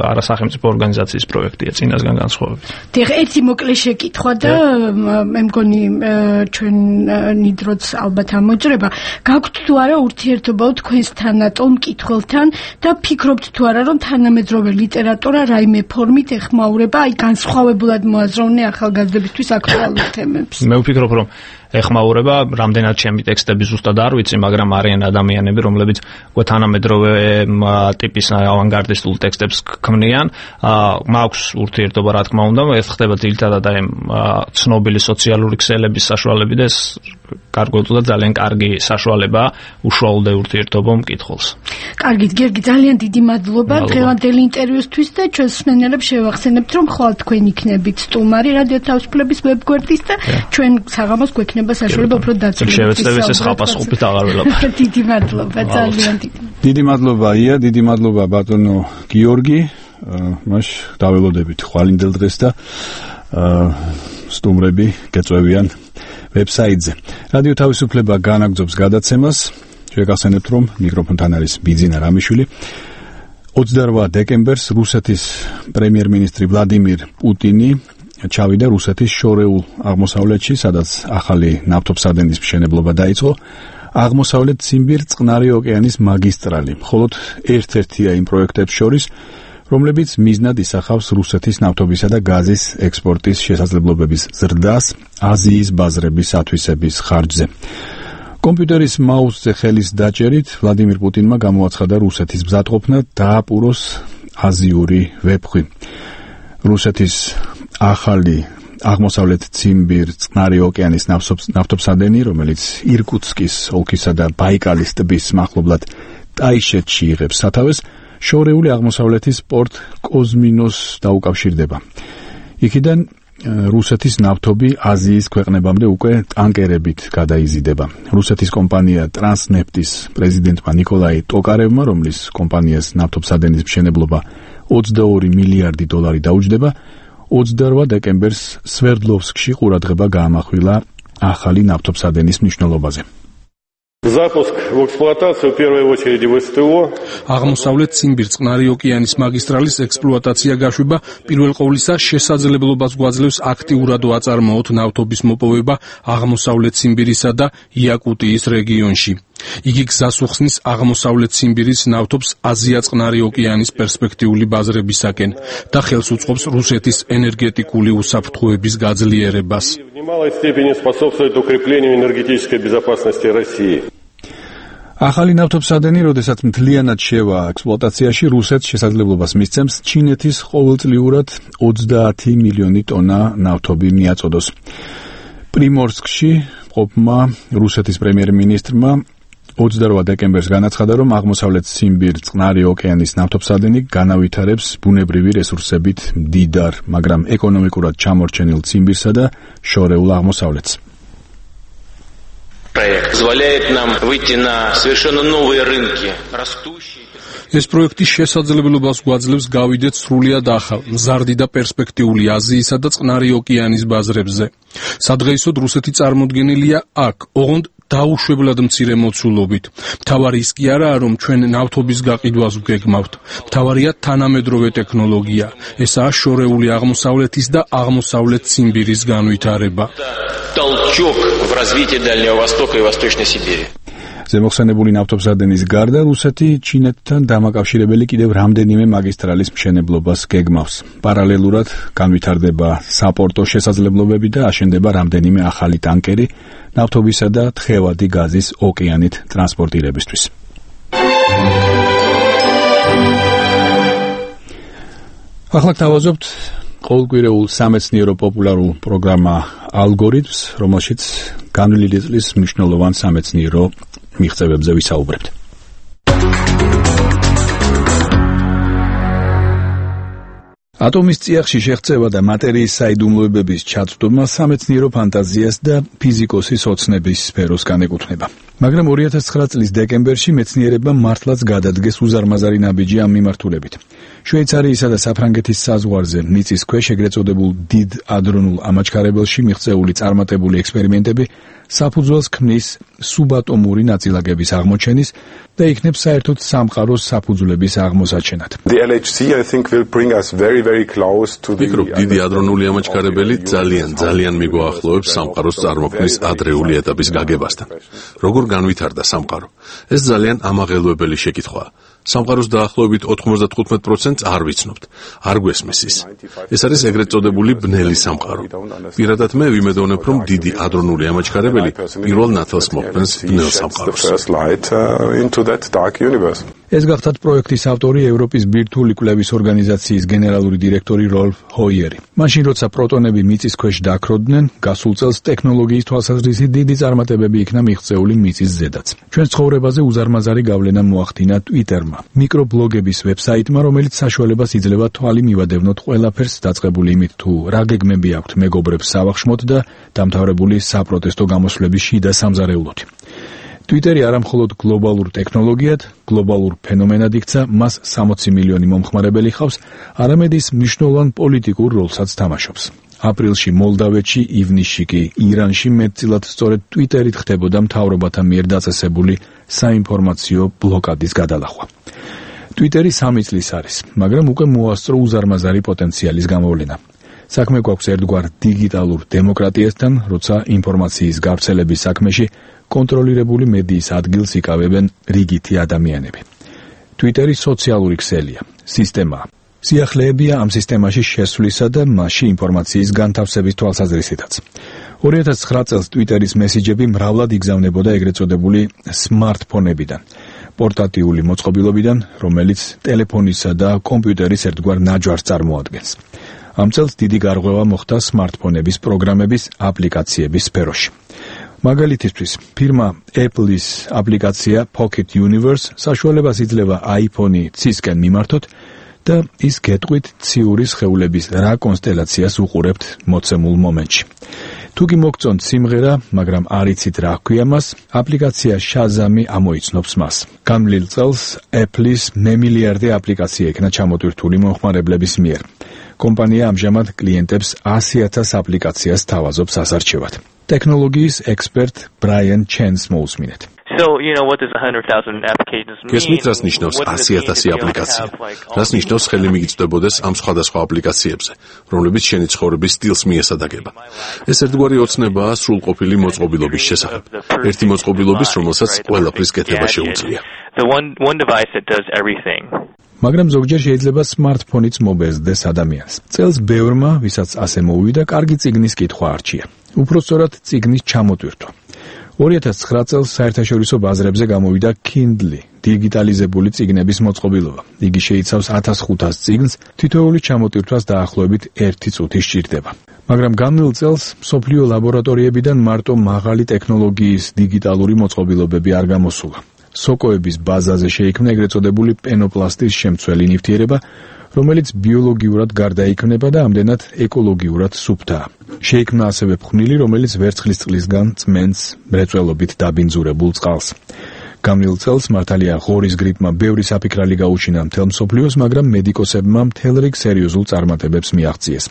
არასახელმწიფო ორგანიზაციის პროექტია წინასგან განსხვავებით. დიახ, ერთი მოკლე შეკითხვა და მე მგონი ჩვენ ნიდროც ალბათ ამოჭრება. გაქვთ თუ არა ურთიერთობა თქვენს თანატოლ მკითხველთან და ფიქრობთ თუ არა რომ თანამედროვე ლიტერატურა რაიმე ფორმით ეხმაურება აი განსხვავებულად მოაზროვნე ახალგაზრდებისთვის აქტუალურ თემებს? მე ვფიქრობ რომ ეხმაურება, რამდენად ჩემი ტექსტები ზუსტად არ ვიცი, მაგრამ არიან ადამიანები, რომლებიც უკვე თანამედროვე ტიპის ავანგარდისტულ ტექსტებს ქმნიან. მაქვს ურთიერთობა, რა თქმა უნდა, ეს ხდება ძირითადად აი ცნობილი სოციალური ქსელების საშუალებით და ეს გარკვეულწილად ძალიან კარგი საშუალებაა უშუალოდ ურთიერთობა მკითხველს. კარგით, გიორგი, ძალიან დიდი მადლობა დღევანდელი ინტერვიუსთვის და ჩვენს მსმენელებს შევახსენებთ, რომ ხვალ თქვენ იქნებით სტუმარი რადიო თავისუფლების ვებგვერდის და ჩვენ საღამოს გვექნება საშუალება უფრო დაწვრილებით. შევეცდებით ეს ხალხასყოფით აღარ ველაპარაკ. დიდი მადლობა, ძალიან დიდი. დიდი მადლობა ია, დიდი მადლობა ბატონო გიორგი. მაშ დაველოდებით ხვალინდელ დღეს და სტუმრები გეწვევიან ვებსაიტზე. რადიო თავისუფლება განაგრძობს გადაცემას. შეგახსენებთ, რომ მიკროფონთან არის ბიძინა რამიშვილი. ოცდაორ დეკემბერს რუსეთის პრემიერ-მინისტრი ვლადიმირ პუტინი ჩავიდა რუსეთის შორეულ აღმოსავლეთში, სადაც ახალი ნავთობსადენის მშენებლობა დაიწყო. აღმოსავლეთ ციმბირ წყნარი ოკეანის მაგისტრალი, მხოლოდ ერთ-ერთია იმ პროექტებს შორის, რომლებიც მიზნად ისახავს რუსეთის ნავთობისა და გაზის ექსპორტის შესაძლებლობების ზრდას აზიის ბაზრების ათვისების ხარჯზე. კომპიუტერის მაუსზე ხელის დაჭერით ვლადიმირ პუტინმა გამოაცხადა რუსეთის მზადყოფნა დააპუროს აზიური ვეფხვი. რუსეთის ახალი აღმოსავლეთ ციმბირ წყნარი ოკეანის ნავთობსადენი, რომელიც ირკუტსკის ოლქისა და ბაიკალის ტბის მახლობლად ტაიშეთში იღებს სათავეს, შორეული აღმოსავლეთის პორტ კოზმინოს დაუკავშირდება. იქიდან რუსეთის ნავთობი აზიის ქვეყნებამდე უკვე ტანკერებით გადაიზიდება. რუსეთის კომპანია ტრანსნეფტის პრეზიდენტმა ნიკოლაი ტოკარევმა, რომლის კომპანიას ნავთობსადენის მშენებლობა ოცდაორი მილიარდი დოლარი დაუჯდება, ოცდაორ დეკემბერს სვერდლოვსკში ყურადღება გაამახვილა ახალი ნავთობსადენის მნიშვნელობაზე. Запуск в эксплуатацию в первую очередь в СТО. აღმოსავლეთ ციმბირ წყნარი ოკეანის მაგისტრალის ექსპლუატაცია გაშვება პირველ ყოვლისა შესაძლებლობას გვაძლევს აქტიურად ვაწარმოოთ ნავთობის მოპოვება აღმოსავლეთ ციმბირისა და იაკუტიის რეგიონში. იგი გზას უხსნის აღმოსავლეთ ციმბირის ნავთობს აზია წყნარი ოკეანის პერსპექტიული ბაზრებისაკენ და ხელს უწყობს რუსეთის ენერგეტიკული უსაფრთხოების გაძლიერებას. В немалой степени способствует укреплению энергетической безопасности России. ახალი ნავთობსადენი, როდესაც მთლიანად შევა ექსპლუატაციაში, რუსეთს შესაძლებლობას მისცემს ჩინეთის ყოველწლიურად ოცდაათი მილიონი ტონა ნავთობი მიაწოდოს. პრიმორსკში მყოფმა რუსეთის პრემიერ-მინისტრმა ოცდაორ დეკემბერს განაცხადა, რომ აღმოსავლეთ ციმბირ წყნარი ოკეანის ნავთობსადენი განავითარებს ბუნებრივი რესურსებით მდიდარ, მაგრამ ეკონომიკურად ჩამორჩენილ ციმბირსა და შორეულ აღმოსავლეთს. Проект позволяет нам выйти на совершенно новые рынки, растущие. ეს პროექტი შესაძლებლობას გვაძლევს გავიდეთ სრულიად ახალ, მზარდი და პერსპექტიული აზიისა და წყნარი ოკეანის ბაზრებზე. სადღეისოდ რუსეთი წარმოდგენილია აქ, ოღონდ დაუშვებლად მცირე მოცულობით. მთავარი ის კი არაა, რომ ჩვენ ნავთობის გაყიდვას ვგეგმავთ. მთავარია თანამედროვე ტექნოლოგია. ესაა შორეული აღმოსავლეთის და აღმოსავლეთ ციმბირის განვითარება. Толчок в развитии Дальнего Востока и Восточной Сибири. ზემოხსენებული ნავთობსადენის გარდა რუსეთი ჩინეთთან დამაკავშირებელი კიდევ რამდენიმე მაგისტრალის მშენებლობას გეგმავს. პარალელურად განვითარდება საპორტო შესაძლებლობები და აშენდება რამდენიმე ახალი ტანკერი ნავთობისა და თხევადი გაზის ოკეანით ტრანსპორტირებისთვის. ახლა თავაზობთ ყოველკვირეულ სამეცნიერო პოპულარულ პროგრამა ალგორითმს, რომელშიც განვლილი წლის მნიშვნელოვან სამეცნიერო მიღწევებზე ვისაუბრებთ. ატომის წიაღში შეღწევა და მატერიის საიდუმლოებების ჩაცდომა სამეცნიერო ფანტაზიას და ფიზიკოსის ოცნების სფეროს განეკუთვნება. მაგრამ ორი ათას ცხრა წლის დეკემბერში მეცნიერებმა მართლაც გადადგეს უზარმაზარი ნაბიჯი ამ მიმართულებით. შვეიცარიისა და საფრანგეთის საზღვარზე მიწისქვეშ ეგრეთ წოდებულ დიდ ადრონულ ამაჩქარებელში მიღწეული წარმატებული ექსპერიმენტები საფუძველს ქმნის სუბატომური ნაწილაკების აღმოჩენის და იქნებ საერთოდ სამყაროს საფუძვლების აღმოსაჩენად. The L H C I think will bring us very very close to the მიკრო დიდი ადრონული ამაჩქარებელი ძალიან ძალიან მიგვაახლოვებს სამყაროს წარმოქმნის ადრეული ეტაპის გაგებასთან. როგორ განვითარდა სამყარო? ეს ძალიან ამაღელვებელი შეკითხვაა. სამყაროს დაახლოებით ოთხმოცდათხუთმეტ პროცენტს არ ვიცნობთ. არ გვესმის ის. ეს არის ეგრეთ წოდებული ბნელი სამყარო. პირადად მე ვიმედოვნებ, რომ დიდი ადრონული ამაჩქარებელი პირველ ნათელს მოხდენს ბნელ სამყაროს. ეს გახდათ პროექტის ავტორი ევროპის ბირთვული კვლევის ორგანიზაციის გენერალური დირექტორი როლფ ჰოიერი. მაშინ როცა პროტონები მიწის ქვეშ დაქროდნენ, გასულ წელს ტექნოლოგიის თვალსაზრისით დიდი წარმატებები იქნა მიღწეული მიწის ზედაც. ჩვენს ცხოვრებაზე უზარმაზარი გავლენა მოახდინა Twitter-მა, მიკრობლოგების ვებსაიტმა, რომელიც საშუალებას იძლევა თვალი მივადევნოთ ყველაფერს, დაწყებული იმით თუ რა გეგმები აქვთ მეგობრებს სავახშმოთ და დამთავრებული საპროტესტო გამოსვლების შიდა სამზარეულოთი. Twitter-ი არა მხოლოდ გლობალურ ტექნოლოგიად, გლობალურ ფენომენად იქცა, მას სამოცი მილიონი მომხმარებელი ხავს, არამედ ის მნიშვნელოვან პოლიტიკურ როლსაც თამაშობს. აპრილში მოლდავეთში, ივნისში კი ირანში მეტწილად სწორედ Twitter-ით ხდებოდა მთავრობათა მიერ დაწესებული საინფორმაციო ბლოკადის გადალახვა. Twitter-ი სამი წლის არის, მაგრამ უკვე მოასწრო უზარმაზარი პოტენციალის გამოვლენა. საქმე გვაქვს ერთგვარ დიგიტალურ დემოკრატიასთან, როცა ინფორმაციის გავრცელების საქმეში კონტროლირებული მედიის ადგილს იკავებენ რიგითი ადამიანები. Twitter-ი სოციალური ქსელია, სისტემაა. სიახლეებია ამ სისტემაში შესვლისა და მასში ინფორმაციის განთავსების თვალსაზრისითაც. ორი ათას ცხრა წელს Twitter-ის მესიჯები მრავლად იგზავნებოდა ეგრეთ წოდებული smartphone-ებიდან, პორტატიული მოწყობილობიდან, რომელიც ტელეფონისა და კომპიუტერის ერთგვარ ნაჯვარს წარმოადგენს. ამ წელს დიდი გარღვევა მოხდა smartphone-ების პროგრამების აპლიკაციების სფეროში. მაგალითისთვის, ფირმა Apple-ის აპლიკაცია Pocket Universe საშუალებას იძლევა iPhone-ი ცისკენ მიმართოთ და ის გეტყვით ციური სხეულების რა კონსტელაციას უყურებთ მოცემულ მომენტში. თუ კი მოგწონთ სიმღერა, მაგრამ არ იცით რა ჰქვია მას, აპლიკაცია Shazam-ი ამოიცნობს მას. განვლილ წელს Apple-ის მემილიარდე აპლიკაცია იქნა ჩამოტვირთული მომხმარებლების მიერ. კომპანია ამჟამად კლიენტებს ასი ათას აპლიკაციას თავაზობს ასარჩევად. ტექნოლოგიის ექსპერტ ბრაიან ჩენს მოусმინეთ. So, you know, what does one hundred thousand applications mean? გესმით, რას ნიშნავს ასი ათასი აპლიკაცია? რას ნიშნავს ხელი მიგიწვდებოდეს ამ სხვადასხვა აპლიკაციებზე, რომლებიც შენი ცხოვრების სტილს მიესადაგება? ეს ერთგვარი ოცნებაა სრულყოფილი მოწყობილობის შესახებ. ერთი მოწყობილობის, რომელსაც ყველაფრის კეთება შეუძლია. The one one device that does everything. მაგრამ ზოგჯერ შეიძლება smartphone-იც მობეზდეს ადამიანს. წელს ბევრმა, ვისაც ასე მოუვიდა, კარგი წიგნის კითხვა არჩია. უпростоრად წიგნის ჩამოტვირთვა. ორი ათას ცხრა წელს საერთაშორისო ბაზრებზე გამოვიდა Kindle, დიგიტალიზებული წიგნების მოწყობილობა. იგი შეიცავს ათას ხუთას წიგნს, თითოეული ჩამოტვირთვას დაახლოებით ერთი წუთი სჭირდება. მაგრამ განვლილ წელს მსოფლიო ლაბორატორიებიდან მარტო მაღალი ტექნოლოგიის დიგიტალური მოწყობილობები არ გამოსულა. სოკოების ბაზაზე შეიქმნა ეგრეთ წოდებული პენოპლასტის შემცველი ნივთიერება, რომელიც ბიოლოგიურად გარდაიქმნება და ამდენად ეკოლოგიურად სუფთაა. შეიქმნა ასევე ფხვნილი, რომელიც ვერცხლის წყლისგან წმენს მრეწველობით დაბინძურებულ წყალს. განვლილ წელს მართალია ღორის გრიპმა ბევრი საფიქრალი გაუჩინა მთელ მსოფლიოს, მაგრამ მედიკოსებმა მთელ რიგ სერიოზულ წარმატებებს მიაღწიეს.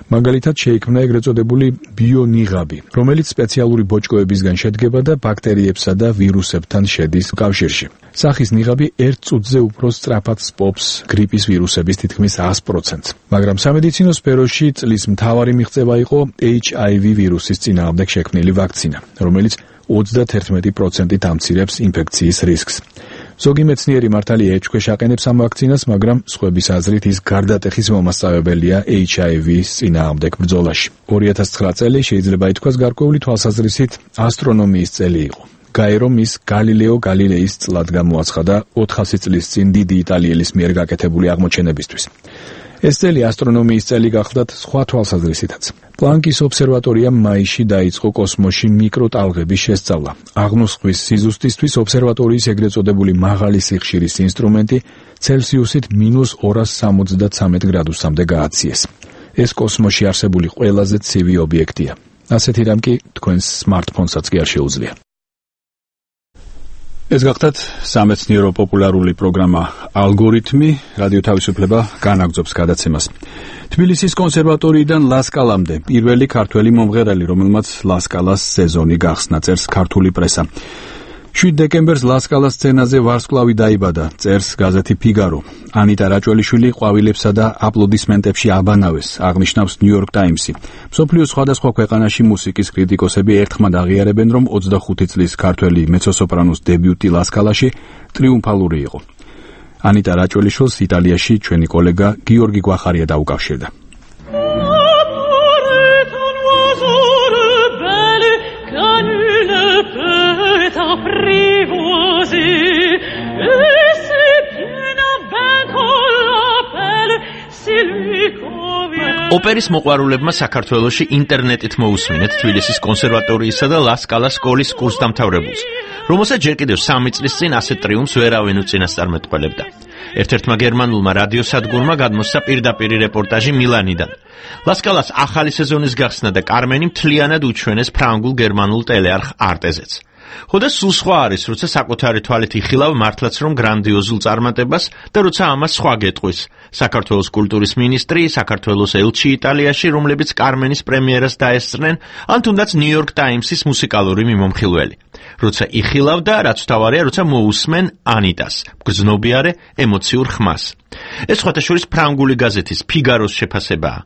მაგალითად შეიქმნა ეგრეთ წოდებული ბიონიღაბი, რომელიც სპეციალური ბოჭკოებისგან შედგება და ბაქტერიებსა და ვირუსებთან შედის კავშირში. სახის ნიღაბი ერთ წუთზე უფრო სწრაფად სპობს გრიპის ვირუსების თითქმის ას პროცენტს. მაგრამ სამედიცინო სფეროში წლის მთავარი მიღწევა იყო ეიჩ აი ვი ვირუსის წინააღმდეგ შექმნილი ვაქცინა, რომელიც ოცდაათი პროცენტით ამცირებს ინფექციის რისკს. ზოგი მეცნიერი მართალია ეჭქვეშ აყენებს ამ ვაქცინას, მაგრამ სხვების აზრით ის გარდატეხის მომასწავებელია ეიჩ აი ვის წინააღმდეგ ბრძოლაში. ორი ათას ცხრა წელი შეიძლება ითქვას გარკვეული თვალსაზრისით ასტრონომიის წელი იყო. გაერომ ის გალილეო გალილეის წლად გამოაცხადა ოთხასი წლის წინ დიდი იტალიელის მიერ გაკეთებული აღმოჩენებისთვის. ეს წელი ასტრონომიის წელი გახლდათ სხვა თვალსაზრისითაც. პლანკის ობსერვატორიამ მაისში დაიწყო კოსმოსში მიკროტალღების შესწავლა. აღნუსხვის სიზუსტისთვის ობსერვატორიის ეგრეთ წოდებული მაღალი სიხშირის ინსტრუმენტი ცელსიუსით მინუს ორას სამოცდათრამეტ გრადუსამდე გააციეს. ეს კოსმოსში არსებული ყველაზე ცივი ობიექტია. ასეთი რამ კი თქვენს სმარტფონსაც კი არ შეუძლია. ეს გახლდათ სამეცნიერო პოპულარული პროგრამა ალგორითმი, რადიო თავისუფლება განაგრძობს გადაცემას. თბილისის კონსერვატორიიდან ლასკალამდე პირველი ქართველი მომღერალი, რომელმაც ლასკალას სეზონი გახსნა, წერს ქართული პრესა. შვიდ დეკემბერს ლასკალას სცენაზე ვარსკვლავი დაიბადა, წერს გაზეთი ფიგარო. ანიტა რაჭველიშვილი ყვავილებსა და აპლოდისმენტებში აბანავეს, აღნიშნავს ნიუ-იორკ ტაიმსი. მსოფლიოს სხვადასხვა ქვეყანაში მუსიკის კრიტიკოსები ერთხმად აღიარებენ, რომ ოცდახუთი წლის ქართველი მეცო-სოპრანოს დებიუტი ლასკალაში ტრიუმფალური იყო. ანიტა რაჭველიშვილს იტალიაში ჩვენი კოლეგა გიორგი გვახარია დაუკავშირდა. ოპერის მოყვარულებმა საქართველოში ინტერნეტით მოусმინეთ თბილისის კონსერვატორიისა და ლასკალას სკოლის კურსდამთავრებულს, რომელსაც ჯერ კიდევ სამი წლის წინ ასეთ ტრიუმფს ვერავინ უწინასწარმეტყველებდა. ერთ-ერთმა გერმანულმა რადიოსადგურმა გადმოსცა პირდაპირი რეპორტაჟი მილანიდან. ლასკალას ახალი სეზონის გახსნა და კარმენი მთლიანად უჩვენეს ფრანგულ გერმანულ ტელეარხ არტეზეც. ხოდა სულ სხვა არის, როცა საკუთარი თვალით იხილავ მართლაც რომ გრანდიოზულ წარმატებას და როცა ამას სხვა გეტყვის. საქართველოს კულტურის მინისტრი, საქართველოს ელჩი იტალიაში, რომლებიც კარმენის პრემიერას დაესწრნენ, ან თუნდაც ნიუ-იორკ ტაიმსის მუსიკალური მიმომხილველი. როცა იხილავ და რაც თავარია, როცა მოусმენ ანიტას, გრძნობიარე ემოციურ ხმას. ეს სხვათაშორის ფრანგული გაზეთის ფიგაროს შეფასებაა.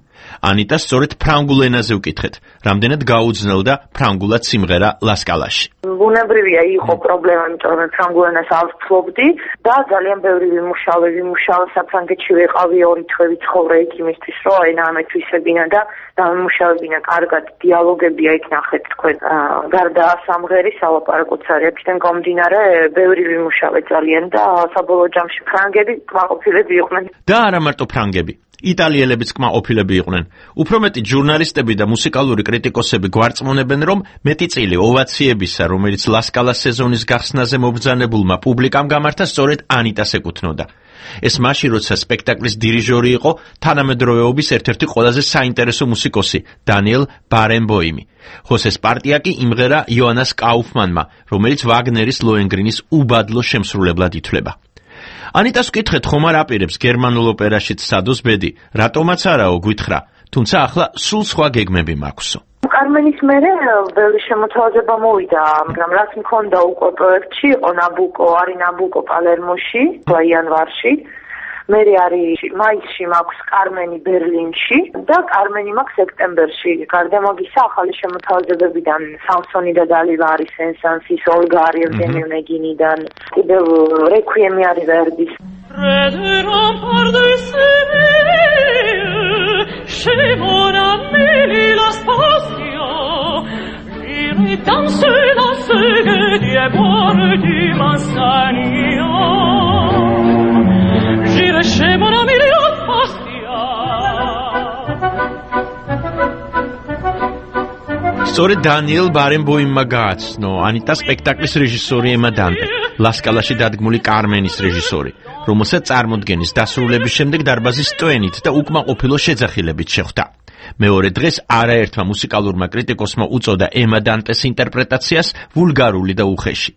ანიტა სწორედ ფრანგულ ენაზე უკითხეთ, რამდენად გაუძნელდა ფრანგულად სიმღერა ლასკალაში. ბუნებრივია იყო პრობლემა, იმიტომ რომ ფრანგულ ენას არ ვფლობდი და ძალიან ბევრი ვიმუშავე, ვიმუშავე საფრანგეთში ვიყავი ორი თვე ვიცხოვრე იქ იმისთვის, რომ ენა ამეთვისებინა და დამემუშავებინა კარგად დიალოგებია იქ ნახეთ თქვენ. გარდა სამღერის ალაპარაკოც არის აქედან გამომდინარე, ბევრი ვიმუშავე ძალიან და საბოლოო ჯამში ფრანგები კმაყოფილები იყვნენ. და არა მარტო ფრანგები. იტალიელებიც კმაყოფილები იყვნენ. უფრო მეტი ჟურნალისტები და მუსიკალური კრიტიკოსები გვარწმუნებენ, რომ მეტი წილი ოვაციებისა, რომელიც ლასკალას სეზონის გახსნაზე მობრძანებულმა პუბლიკამ გამართა, სწორედ ანიტას ეკუთვნოდა. ეს მაშინ, როცა სპექტაკლის დირიჟორი იყო თანამედროვეობის ერთ-ერთი ყველაზე საინტერესო მუსიკოსი, დანიელ ბარენბოიმი. ხოსეს პარტია კი იმღერა იოანას კაუფმანმა, რომელიც ვაგნერის ლოენგრინის უბადლო შემსრულებლად ითვლება. ანიტას ვკითხეთ, ხომ არ აპირებს გერმანულ ოპერაშიც სადოს ბედი, რატომაც არაო გვითხრა, თუმცა ახლა სულ სხვა გეგმები მაქვსო. კარმენის მერე ბევრი შემოთავაზება მოვიდა, მაგრამ რაც მქონდა უკვე პროექტში, იყო ნაბუკო, არის ნაბუკო პალერმოში, იანვარში. მერე არის მაისში მაქვს კარმენი ბერლინში და კარმენი მაქვს სექტემბერში. გარდა მაგისა ახალი შემოთავაზებებიდან სამსონი და დალივა არის სენსანსის, ოლგა არის ევგენი ონეგინიდან, კიდევ რეკვიემი არის ვერდის. სწორედ დანიელ ბარენბოიმმა გააცნო ანიტა სპექტაკლის რეჟისორი ემა დანტე, ლასკალაში დადგმული კარმენის რეჟისორი, რომელსაც წარმოდგენის დასრულების შემდეგ დარბაზის ტვენით და უკმაყოფილო შეძახილებით შეხვდა. მეორე დღეს არაერთმა მუსიკალურმა კრიტიკოსმა უწოდა ემა დანტეს ინტერპრეტაციას ვულგარული და უხეში.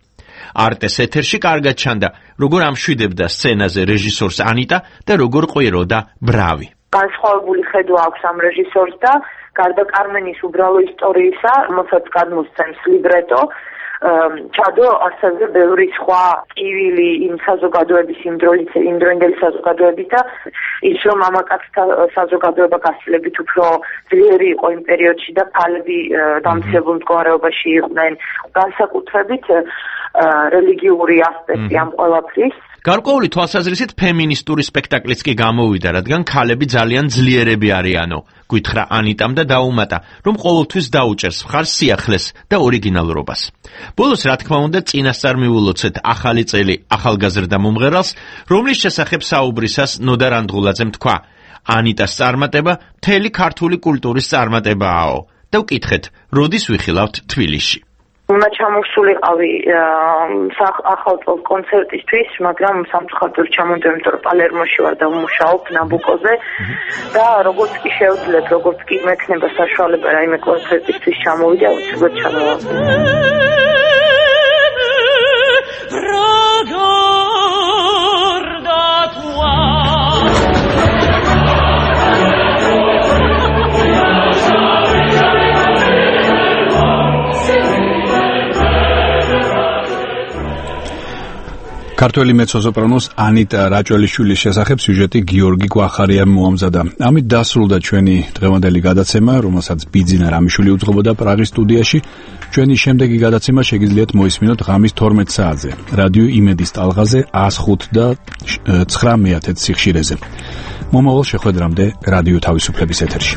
არტეს ეთერში კარგად ჩანდა, როგორ ამშვიდებდა სცენაზე რეჟისორს ანიტა და როგორ ყვიროდა ბრავი. განსხვავებული ხედვა აქვს ამ რეჟისორს და გარდა კარმენის უბრალო ისტორიისა, რომელსაც გადმოსცემს ლიბრეტო, ჩადო ასევე ბევრი სხვა კივილი იმ საზოგადოების იმ დროის იმ დროინდელი საზოგადოების და ის რომ მამაკაცთა საზოგადოება გასილებით უფრო ძლიერი იყო იმ პერიოდში და ქალები დამცირებულ მდგომარეობაში იყვნენ, განსაკუთრებით რელიგიური ასპექტი ამ ყველაფრის. გარკვეული თვალსაზრისით ფემინისტური სპექტაკლიც კი გამოვიდა, რადგან ქალები ძალიან ძლიერები არიანო. გითხრა ანიტამ და დაუმატა, რომ ყოველთვის დაუჭერს მხარს სიახლეს და ორიგინალურობას. ბოლოს, რა თქმა უნდა, წინასწარ მივულოცეთ ახალი წელი ახალგაზრდა მომღერალს, რომლის შესახებ საუბრისას ნოდა რანდღულაძემ თქვა: ანიტას წარმატება მთელი ქართული კულტურის წარმატებაა და ვკითხეთ, როდის ვიხილავთ თბილისში. უნდა ჩამოსულიყავი ახალწელს კონცერტისთვის, მაგრამ სამწუხაროდ ჩამოვიდა, იმიტომ რომ პალერმოში ვარ და ვმუშაობ ნაბუკოზე და როგორც კი შევძლებ, როგორც კი მექნება საშუალება რაიმე კონცერტისთვის ჩამოვიდე, აუცილებლად ჩამოვიდი. ქართველი მეცო-სოპრანოს ანიტა რაჭველიშვილის შესახებ სიუჟეტი გიორგი გვახარიამ მოამზადა. ამით დასრულდა ჩვენი დღევანდელი გადაცემა, რომელსაც ბიძინა რამიშვილი უძღვებოდა პრაღის სტუდიაში. ჩვენი შემდეგი გადაცემა შეგიძლიათ მოისმინოთ ღამის თორმეტ საათზე. რადიო იმედის ტალღაზე ას ხუთ და ცხრა მეათე სიხშირეზე. მომავალ შეხვედრამდე რადიო თავისუფლების ეთერში.